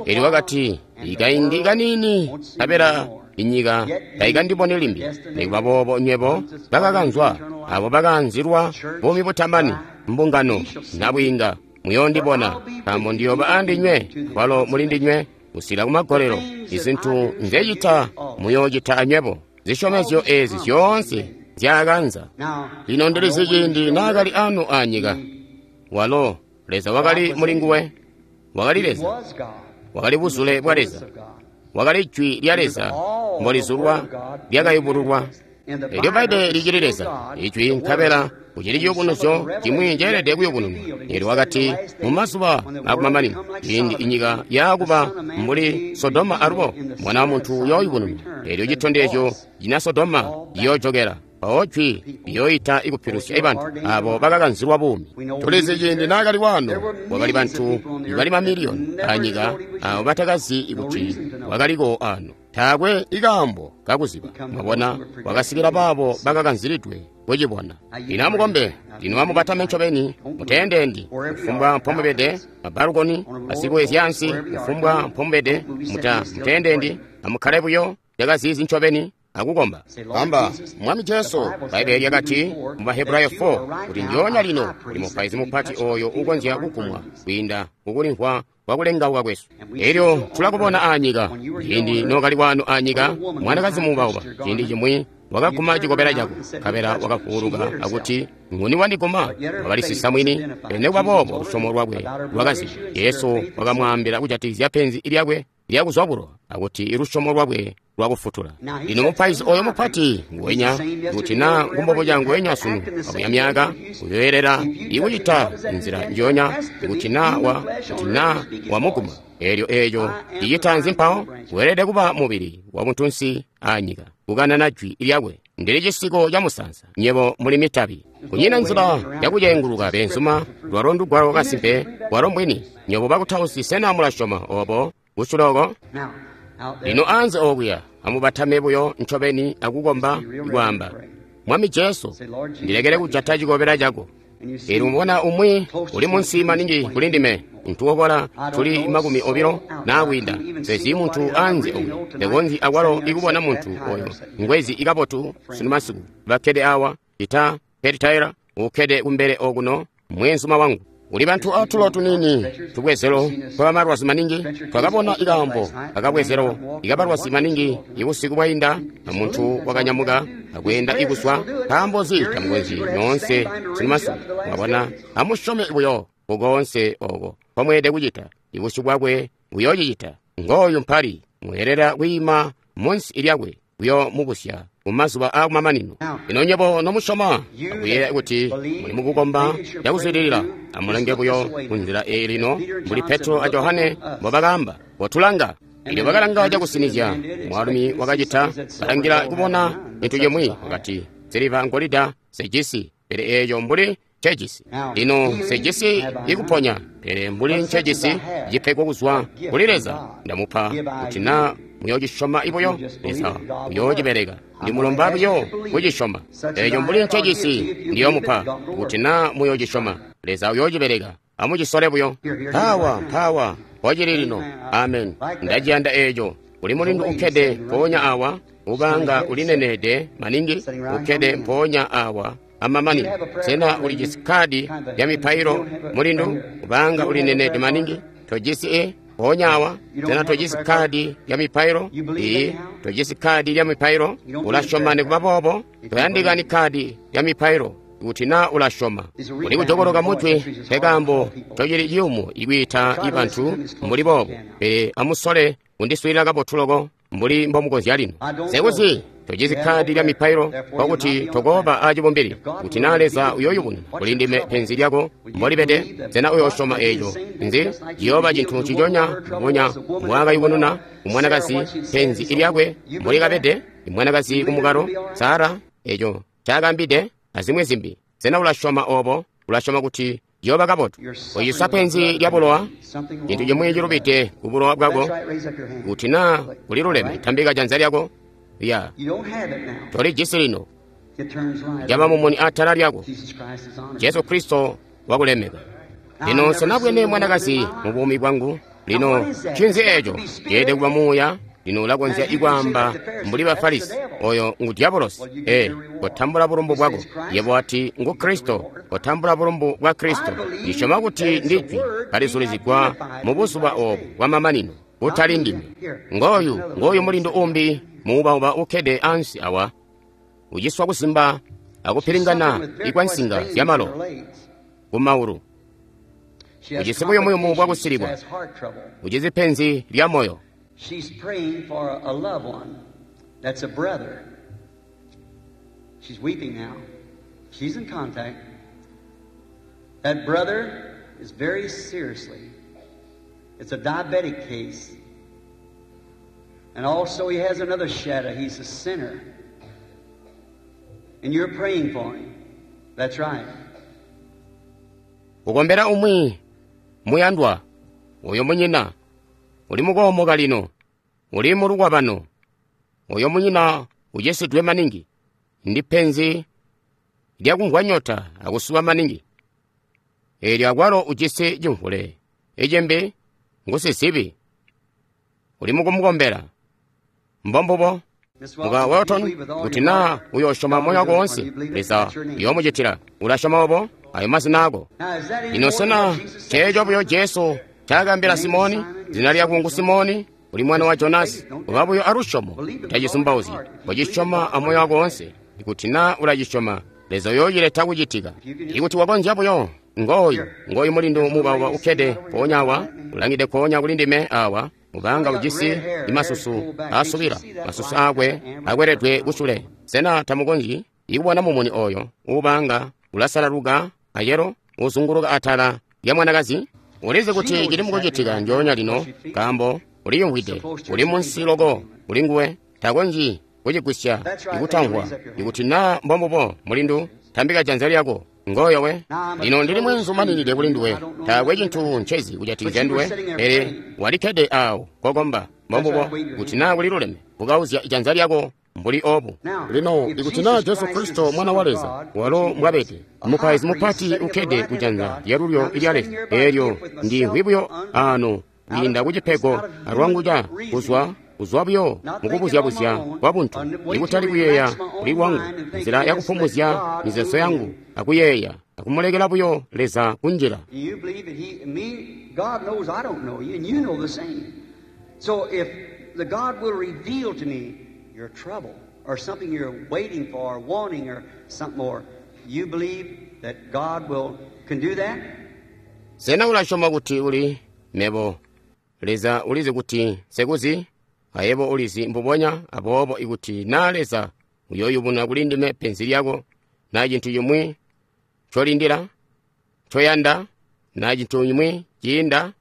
Elyo wakati, ikaindi kaniini nkabela inyika taikandiboni limbi, nikuba boobo nywebo bakakanzwa, abo bakaanzilwa buumi butamani, mbungano nabwiinga, muyoondibona, nkaambo ndiyooba andinywe, kwalo muli ndinywe kusika kumagolelo. Izintu nzecita muyoocita anywebo. Zisyomezyo ezi zyoonse nzyaakanza. Lino ndilizi ciindi naakali ano anyika, walo Leza wakali muli nguwe, wakali Leza, wakali buzule bwa Leza, wakali jwi lya Leza mbolizulwa lyakayubululwa. Elyo Bbaibbele licili Leza, ijwi, nkabela kucili ciyubunuzyo cimwi ceelede kuyubununwa. Elyo wakati mumazuba akumamanino, ciindi inyika yaakuba mbuli Sodoma alubo, Mwana wa Muntu uyooyubununwa. Elyo citondezyo cina Sodoma ciyoojokela, mpawo jwi liyooita ikupilusya ibantu abo bakakanzilwa buumi. Tulizi ciindi naakali waano, kwakali bantu ibali mamiliyoni anyika abo batakazi kuti wakaliko ano. Taakwe ikaambo kakuziba. Mwabona, wakasikila baabo bakakanzilidwe kucibona. Lino amukombe, lino amubatame ncobeni, muteendendi, kufumbwa mpomubede, mabalukoni, basikuwezyansi, kufumbwa mpomubede, muteendendi, amukkale buyo cakaziizi ncobeni akukomba. Amba, Mwami Jesu, Bbaibbele lyakati mu Bahebrayo 4 kuti njoonya lino kuli mupaizi mupati oyo ukonzya kugumwa kwiinda kukulimvwa kwakulengauka kwesu. Elyo tulakubona anyika, ciindi nookali wano anyika, mwanakazi muubauba, ciindi cimwi wakaguma cikobela cako, nkabela wakavuuluka akuti, nguni wandiguma? Wakalisisa mwini, pele nikuba boobo lusyomo lwakwe lwakaziba. Jesu wakamwaambila kujatikizya penzi lyakwe lyakuzwa bulowa, akuti ilusyomo lwakwe lwakufutula. Lino mupaizi oyo mupati nguwenya, kuti naa ngumbobuca nguwenya sunu abuya myaka, uyoyelela ikucita nzila njoonya kuti naa wamuguma. Elyo eeco cicita nzi mpawo? Weelede kuba mubili wabuntunsi anyika, kukanana jwi lyakwe. Ndili cisiko ca musanza, nywebo muli mitabi. Kunyina nzila yakucenguluka beenzuma, lwalo ndugwalo kasimpe, lwalo mbwini. Nywebo bakutausi sena mulasyoma obo kusuloko? Lino anze okuya, amubatame buyo ncobeni akukomba kwaamba, Mwami Jesu, ndilekele kujata cikobela cako. Elyo mubona umwi uli munsi maningi kuli ndime, ntukokola tuli 20 naa kwiinda. Sezi muntu anze okuya, ndekonzyi akwalo ikubona muntu oyo ngwezi ikabotu sunu masiku. Bakkede awa, ita Pete Taylor ukkede kumbele okuno, mweenzuma wangu. Kuli bantu atulo tunini tubwezelo twabamalwazi maningi. Twakabona ikaambo akabwezelo ikabalwazi maningi ibusiku bwainda, muntu wakanyamuka akweenda ikuzwa. Nkaambo nzi tamukonzyi nyoonse sunu masiku? Mwabona, amusyome buyo kukoonse oko nkomweelede kucita. Ibusyu bwakwe buyoocicita. Ngooyu mpali, mweelela kwiima munsi lyakwe kuyomubusya mumazuba aakumamanino. Lino nywebo nomusyoma akuyeeya kuti muli mukukomba cakuzwidilila, amulange buyo kunzila eyi lino, mbuli Petro a Johane mbobakaamba, kotulanga. Elyo bakalanga cakusinizya. Mwaalumi wakacita, balangila kubona cintu cimwi, wakati, nsiliva ngolida sejisi, pele eeco mbuli ncejisi. Lino nsejisi ikuponya, pele mbuli ncejisi cipego kuzwa kuli Leza, ndamupa kuti naa muyoocisyoma ibuyo, Leza uyoocibeleka. Ndimulomba buyo kucisyoma. Eeco mbuli ncejisi ndiyoomupa kuti naa muyoocisyoma, Leza uyoocibeleka. Amucisole buyo. Mpawa, mpawa, mpocili lino. Amen. Ndaciyanda eeco. Kuli mulindu ukkede mpoonya awa, ubanga ulineneede maningi, ukkede mpoonya awa amamanino. Sena ulijisi kadi lya mipailo, mulindu? Ubanga ulineneede maningi, tojisi e? Mpoonya awa, sena tojisi kadi lya mipailo? Iyi, tojisi kadi lya mipailo. Ulasyoma nikuba boobo? Toyandikani kadi lya mipailo. Ikuti na ulasyoma. Uli kujokoloka mujwi, nkekaambo ncocili ciyumu ikwiita bantu mbuli boobo. Pele amusole kundiswiilila kabotu loko mbuli mbomukonzya lino. Sekuzi tojisi kkaadi lya mipailo, nkokuti tokooba acibumbili. Kuti naa Leza uyooyubununa kuli ndime penzi lyako mbolibede, sena uyoosyoma eeco? Nzi ciyooba cintu nciconya mbubonya mbwaakayubununa kumwanakazi penzi lyakwe mbolikabede, imwanakazi kumukalo, Sara, eeco ncaakaambide, azimwi zimbi. Sena ulasyoma oobo? Ulasyoma kuti ciyooba kabotu. Uciswa penzi lya bulowa, cintu cimwi cilubide ku bulowa bwako. Kuti naa kuliluleme, tambika janza lyako. Ya, tolijisi lino. Caba mumuni atala lyako. Jesu Kristo wakulemeka. Lino nsenabwene mwanakazi mu buumi bwangu. Lino ncinzi eeco? Ceelede kuba muuya. Lino ulakonzya ikwaamba mbuli ba Farisi, oyo ngu diabolosi. Ee, kotambula bulumbu bwako. Yebo wati ngu Kristo, kotambula bulumbu bwa Kristo. Ndisyoma kuti ndi Jwi kalizulizigwa mu buzuba oobu bwamamanino, kutali ndime. Ngooyu, ngooyu mulindu umbi muubauba ukkede ansi awa, uciswa kusimba akupilingana ikwansinga zyamalo kumaulu. Ujisi buyumuyumu bwakusilikwa, ujisi penzi lya moyo. She's praying for a loved one that's a brother. She's weeping now. She's in contact. That brother is very seriously. It's a diabetic case. And also he has another shadow. He's a sinner. And you're praying for him. That's right. Ukombera umwi muyandwa uyo munyina uli mukoomoka lino, uli mulukwabano. Uyo munyina ucisidwe maningi, ndi penzi lyakumvwa nyota akusuba maningi. Eelyo akwalo ujisi cimvule icimbi ngusizibi, uli mukumukombera. Mbombubo muka Welton, kuti naa uyoosyoma moyo wako woonse, Leza uyoomucitila. Ulasyoma obo? Ayo mazina ako. Lino sena ceeco buyo Jesu ncaakaambila Simoni? Zina lyako ngu Simoni, uli mwana wa Jonasi. Uba buyo alusyomo, utacisumbauzyi. Kocisyoma amoyo wako woonse. Ikuti naa ulacisyoma, Leza uyoocileta kucitika. Ikuti wakonzya buyo, ngooyu, ngooyu mulindu muubauba ukkede mpoonya awa, ulangide nkoonya kuli ndime awa, mubanga ujisi masusu aasubila, masusu aakwe akweledwe kusule. Sena tamukonzyi ikubona mumuni oyo uubanga ulasalaluka ayelo uzunguluka atala lya mwanakazi? Ulizi kuti cili mukucitika njoonya lino, nkaambo uliyumvwide, uli munsi loko kuli nguwe, takonzyi kucigwisya ikutamvwa. Ikuti naa mbombubo, mulindu, tambika janza lyako. Ngoyo we. Lino ndili mweenzu maninide kuli nduwe, taakwe cintu ncezi kujatikizya nduwe, pele walikkede awo kokomba. Mbombubo, kuti naa kuliluleme, bukauzya janza lyako mbuli obu. Lino ikuti naa Jesu Kristo mwana wa Leza, walo mbwabede, mupaizi mupati ukkede kujanza lyalulyo ilya Leza, eelyo ndimvwi buyo ano kwiinda kucipego alwangu ca kuzwa buyo mukubuzyabuzya kwa buntu, ikutali kuyeeya kuli lwangu, nzila yakupumuzya mizeezo yangu akuyeeya akumulekela buyo Leza kunjila. You believe that he, me, God knows I don't know you, and you know the same. So if the God will reveal to me your trouble or something you're waiting for or wanting or something more, you believe that God will can do that? Sena ulasyoma kuti uli mebo? Leza ulizi kuti nsekuzi, ayebo ulizi mbubonya. Aboobo ikuti naa Leza uyooyubununa kuli ndime penzi lyako, naa cintu cimwi ncolindila, ncoyanda, naa cintu cimwi ciinda,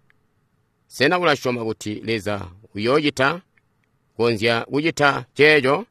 sena ulasyoma kuti Leza uyoocita, konzya kucita ceeco?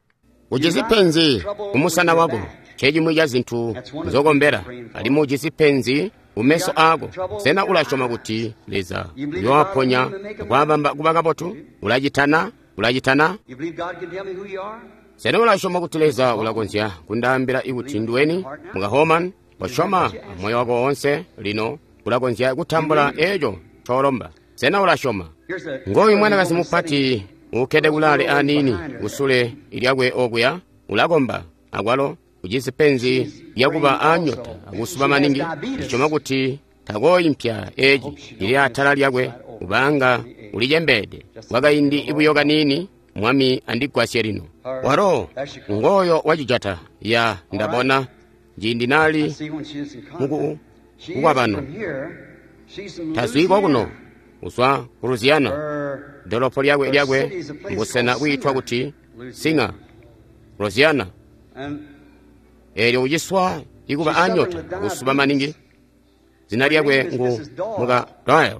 Ujisi penzi kumusana wako, ncecimwi ca zintu nzokombela, alimwi ujisi penzi kumeso aako. Sena ulasyoma kuti Leza uyoowaponya akwaabamba kuba kabotu? Ulacitana? Ulacitana? You believe God can tell me who you are? Sena ulasyoma kuti Leza ulakonzya kundaambila ikuti nduweni? Muka Homan, wasyoma amoyo wako woonse lino ulakonzya kutambula eeco ncoolomba. Sena ulasyoma? Here's a Ngooyu mwanakazi mupati ukkede kulaale aniini kusule lyakwe okuya, ulakomba akwalo ujisi penzi lyakuba aanyota akusuba maningi. Ndisyoma kuti takooimpya eeci cili atala lyakwe, kubanga ulicembeede kwakaindi buyo kaniini. Mwami andigwasye lino. Walo ngooyo wacijata. Ya, ndabona. ciindi nali muku kukwabano. Tazwi kokuno, uzwa ku Louisiana. Dolopo lyakwe lyakwe mbusena bwiitwa kuti Singer, Louisiana. Eelyo uciswa ikuba anyota akusuba maningi. Zina lyakwe ngu muka Doyle.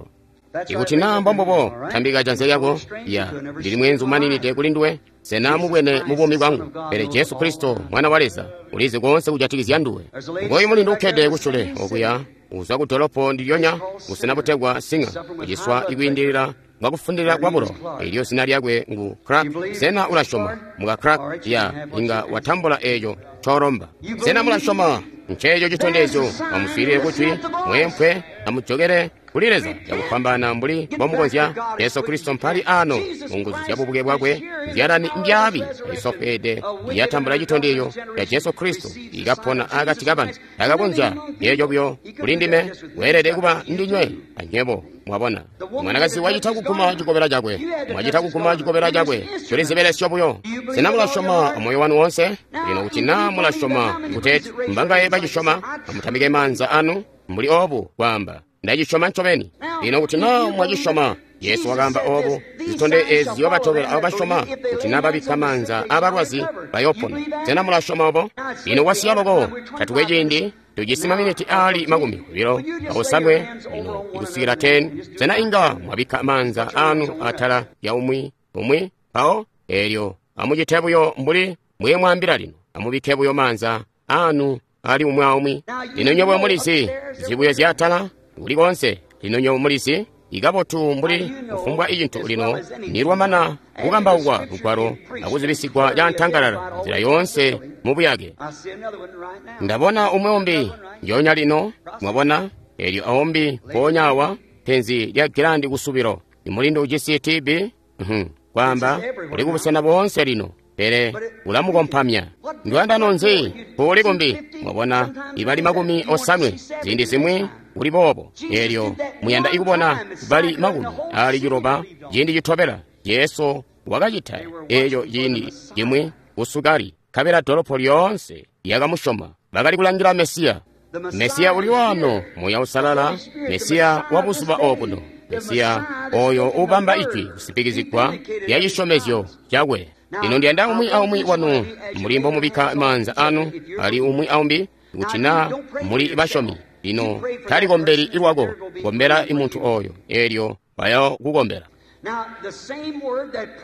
Ikuti naa mbombubo, tambika janza lyako. Ya, ndili mweenzu maninide kuli nduwe. Sena mubwene mu buumi bwangu, pele Jesu Kristo mwana wa Leza ulizi koonse kujatikizya nduwe. Ngoyu mulindu ukkede kusyule okuya, uzwa ku dolopo ndilyonya, busena butegwa Singer, uciswa ikwiindilila bwakufundilila kwa bulo. Elyo zina lyakwe ngu Clark. Sena ulasyoma muka Clark? Ya, inga watambula eeco ncoolomba. Sena mulasyoma? Nceeco citondezyo. Amuswiilile kujwi, mweempwe, amujokele kuli Leza cakufwambaana mbuli mbomukonzya. Jesu Kristo mpali ano mu nguzu zya bubuke bwakwe. Nzyalani mbyaabi isofweede yatambula citondezyo ca Jesu Kristo ikapona akati kabantu. Takakonzya eeco buyo kuli ndime, weelede kuba ndinywe anywebo. Mwabona, mwanakazi wacita kuguma cikobela cakwe, mwacita kuguma cikobela cakwe, tuli zibelesyo buyo. Sena mulasyoma amoyo wanu wonse? Lino kuti naa mulasyoma kuteeti mbangaye bacisyoma, amutambike maanza anu mbuli obu kwaamba, ndacisyoma ncobeni. Lino kuti naa mwacisyoma, Yesu wakaamba obu, zitonde eezi ziyoobatobela abo basyoma, kuti naa babikka maanza aabalwazi bayoopona. Sena mulasyoma obo? Lino kwasiya loko, tatukwe ciindi. Tujisi maminiti aali 29 lino ikusikila 10. Sena inga mwabikka maanza anu atala ya umwi umwi mpawo? Eelyo amucite buyo mbuli mbwemwaambila lino. Amubikke buyo maanza anu ali umwi aumwi. Lino nywebo mulizi zibuyo zyatala kuli konse. Lino nywebo mulizi ikabotu mbuli kufumbwa icintu lino nilwamana kukambaukwa lugwalo akuzibisigwa cantangalala nzila yoonse mubuyake. Ndabona umwi umbi njoonya lino, mwabona, eelyo aumbi mpoonya awa, penzi lya gilandi kusubilo. Imulindu ujisi TB, kwaamba uli kubusena boonse lino, pele ulamukompamya. Ndwandano nzi mpuli kumbi, mwabona, ibali 80 ziindi zimwi uli boobo. Eelyo muyanda ikubona bali 90 ciindi citobela. Jesu wakacita eeco ciindi cimwi kusukali, nkabela dolopo lyoonse lyakamusyoma. Bakali kulangila Mesiya. Mesiya uli wano, Muuya Uusalala, Mesiya wa buzuba obuno, Mesiya oyo ubamba ijwi kusipikizigwa lya cisyomezyo cakwe. Lino ndiyanda umwi aumwi wanu mbuli mbomubikka maanza anu ali umwi aumbi, kuti naa muli basyomi. Lino talikombeli lwako, kombela imuntu oyo, eelyo bayokukombela.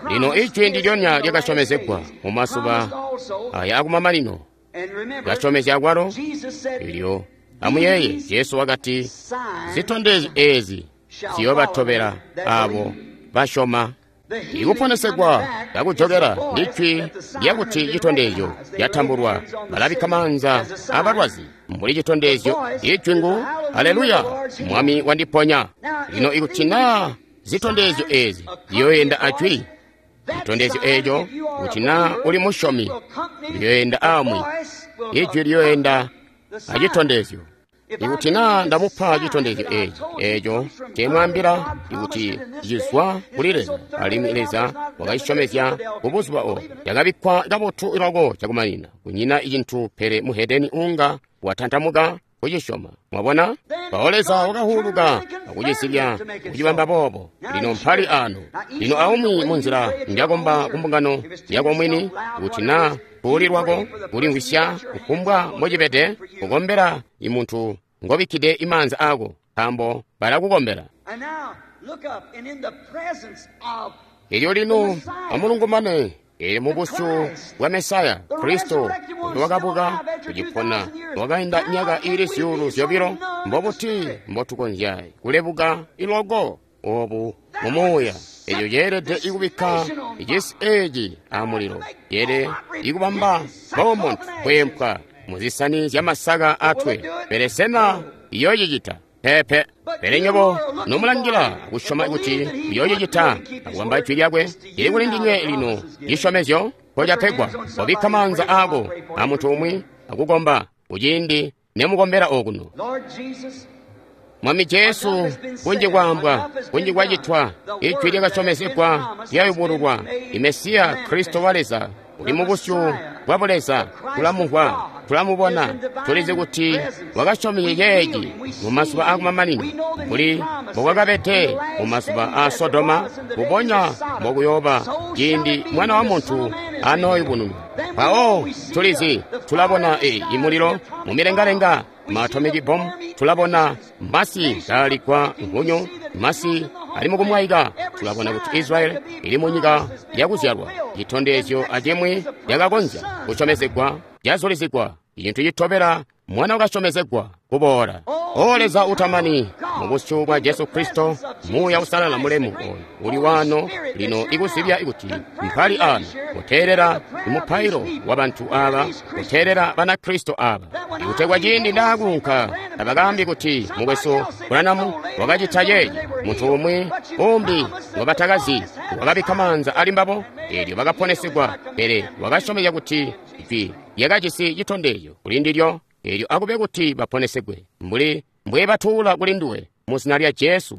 Lino ijwi ndilyonya lyakasyomezegwa mu mazuba aya akumamanino, lyasyomezya kwalo. Elyo amuyeeye, Jesu wakati, zitondezyo eezi ziyoobatobela abo basyoma. Ikuponesegwa kakujokela ndijwi lyakuti citondezyo lyatambulwa. Balabikka maanza abalwazi mbuli citondezyo. Ijwi ngu haleluya, Mwami wandiponya. Lino ikuti naa zitondezyo eezi ziyoyenda ajwi, citondezyo eeco, kuti naa uli musyomi, liyoyenda amwi. Ijwi liyoyenda acitondezyo. Ikuti naa ndamupa citondezyo eeci, eeco nceemwaambila ikuti cizwa kuli Leza, alimwi Leza wakacisyomezya kubuzuba obo, cakabikkwa kabotu loko cakumanina. Kunyina icintu pele muhedeni uunga watantamuka kucisyoma. Mwabona? Mpawo Leza wakahuluka akucizibya kucibamba boobo. Lino mpali ano. Lino aumwi munzila njakomba kumbungano yako mwini, kuti naa kuuli lwako kulimvwisya kufumbwa mbocibede, kukombela imuntu ngobikkide imaanza ako, nkaambo balakukombela. Elyo lino amulungumane, eelyo mubusyu bwa Mesaya Kristo uyo wakabuka kucipona wakainda myaka iili 2,000, mbobuti mbotukonzya kulebuka iloko obu mumuuya? Eco ceelede ikubikka cisi eeci amulilo, ceelede ikubamba Beaumont kweempwa muzisani zyamasaka atwe. Pele sena iyoocicita? Peepe. Pele nywebo nomulangila kusyoma kuti uyoocicita akubamba ijwi lyakwe, lili kuli ndinywe lino cisyomezyo mpocapegwa. Kobikka maanza aako amuntu umwi akukomba kuciindi nemukombela okuno. Mwami Jesu, kunji kwaambwa, kunji kwacitwa, ijwi lyakasyomezegwa lyayubululwa. Imesiya Kristo wa Leza uli mubusyu bwa Buleza, tulamumvwa. Tula mubona. Tulizi kuti wakasyomezya ceeci mu mazuba aakumamanino, mbuli mbokwakabede mu mazuba aa Sodoma, mbubonya mbokuyooba ciindi Mwana wa Muntu anooyubununwa. Mpawo tulizi, tulabona imulilo mu milengalenga, ma atomic bomb, tulabona masi kaaligwa nkhunyu, masi ali mukumwaika. Tulabona kuti Israeli ili mu nyika yakuzyalwa. Citondezyo acimwi cakakonzya kusyomezegwa cazulizigwa. Icintu citobela, Mwana wakasyomezegwa kuboola. O Leza utamani, mu busyu bwa Jesu Kristo, Muuya Uusalala mulemu oyu uli waano lino ikuzibya kuti mpali ano, kuteelela mupailo wa bantu aba, kuteelela Banakristo aba. Ikutegwa ciindi ndaakuunka, tabakaambi kuti mukwesu Branham wakacita ceeci, muntu umwi umbi ngobatakazi wakabikka maanza ali mbabo, eelyo bakaponesegwa, pele wakasyomezya kuti ijwi lyakajisi citondezyo kuli ndilyo, eelyo akube kuti baponesegwe, mbuli mbwebatuula kuli nduwe, mu zina lya Jesu.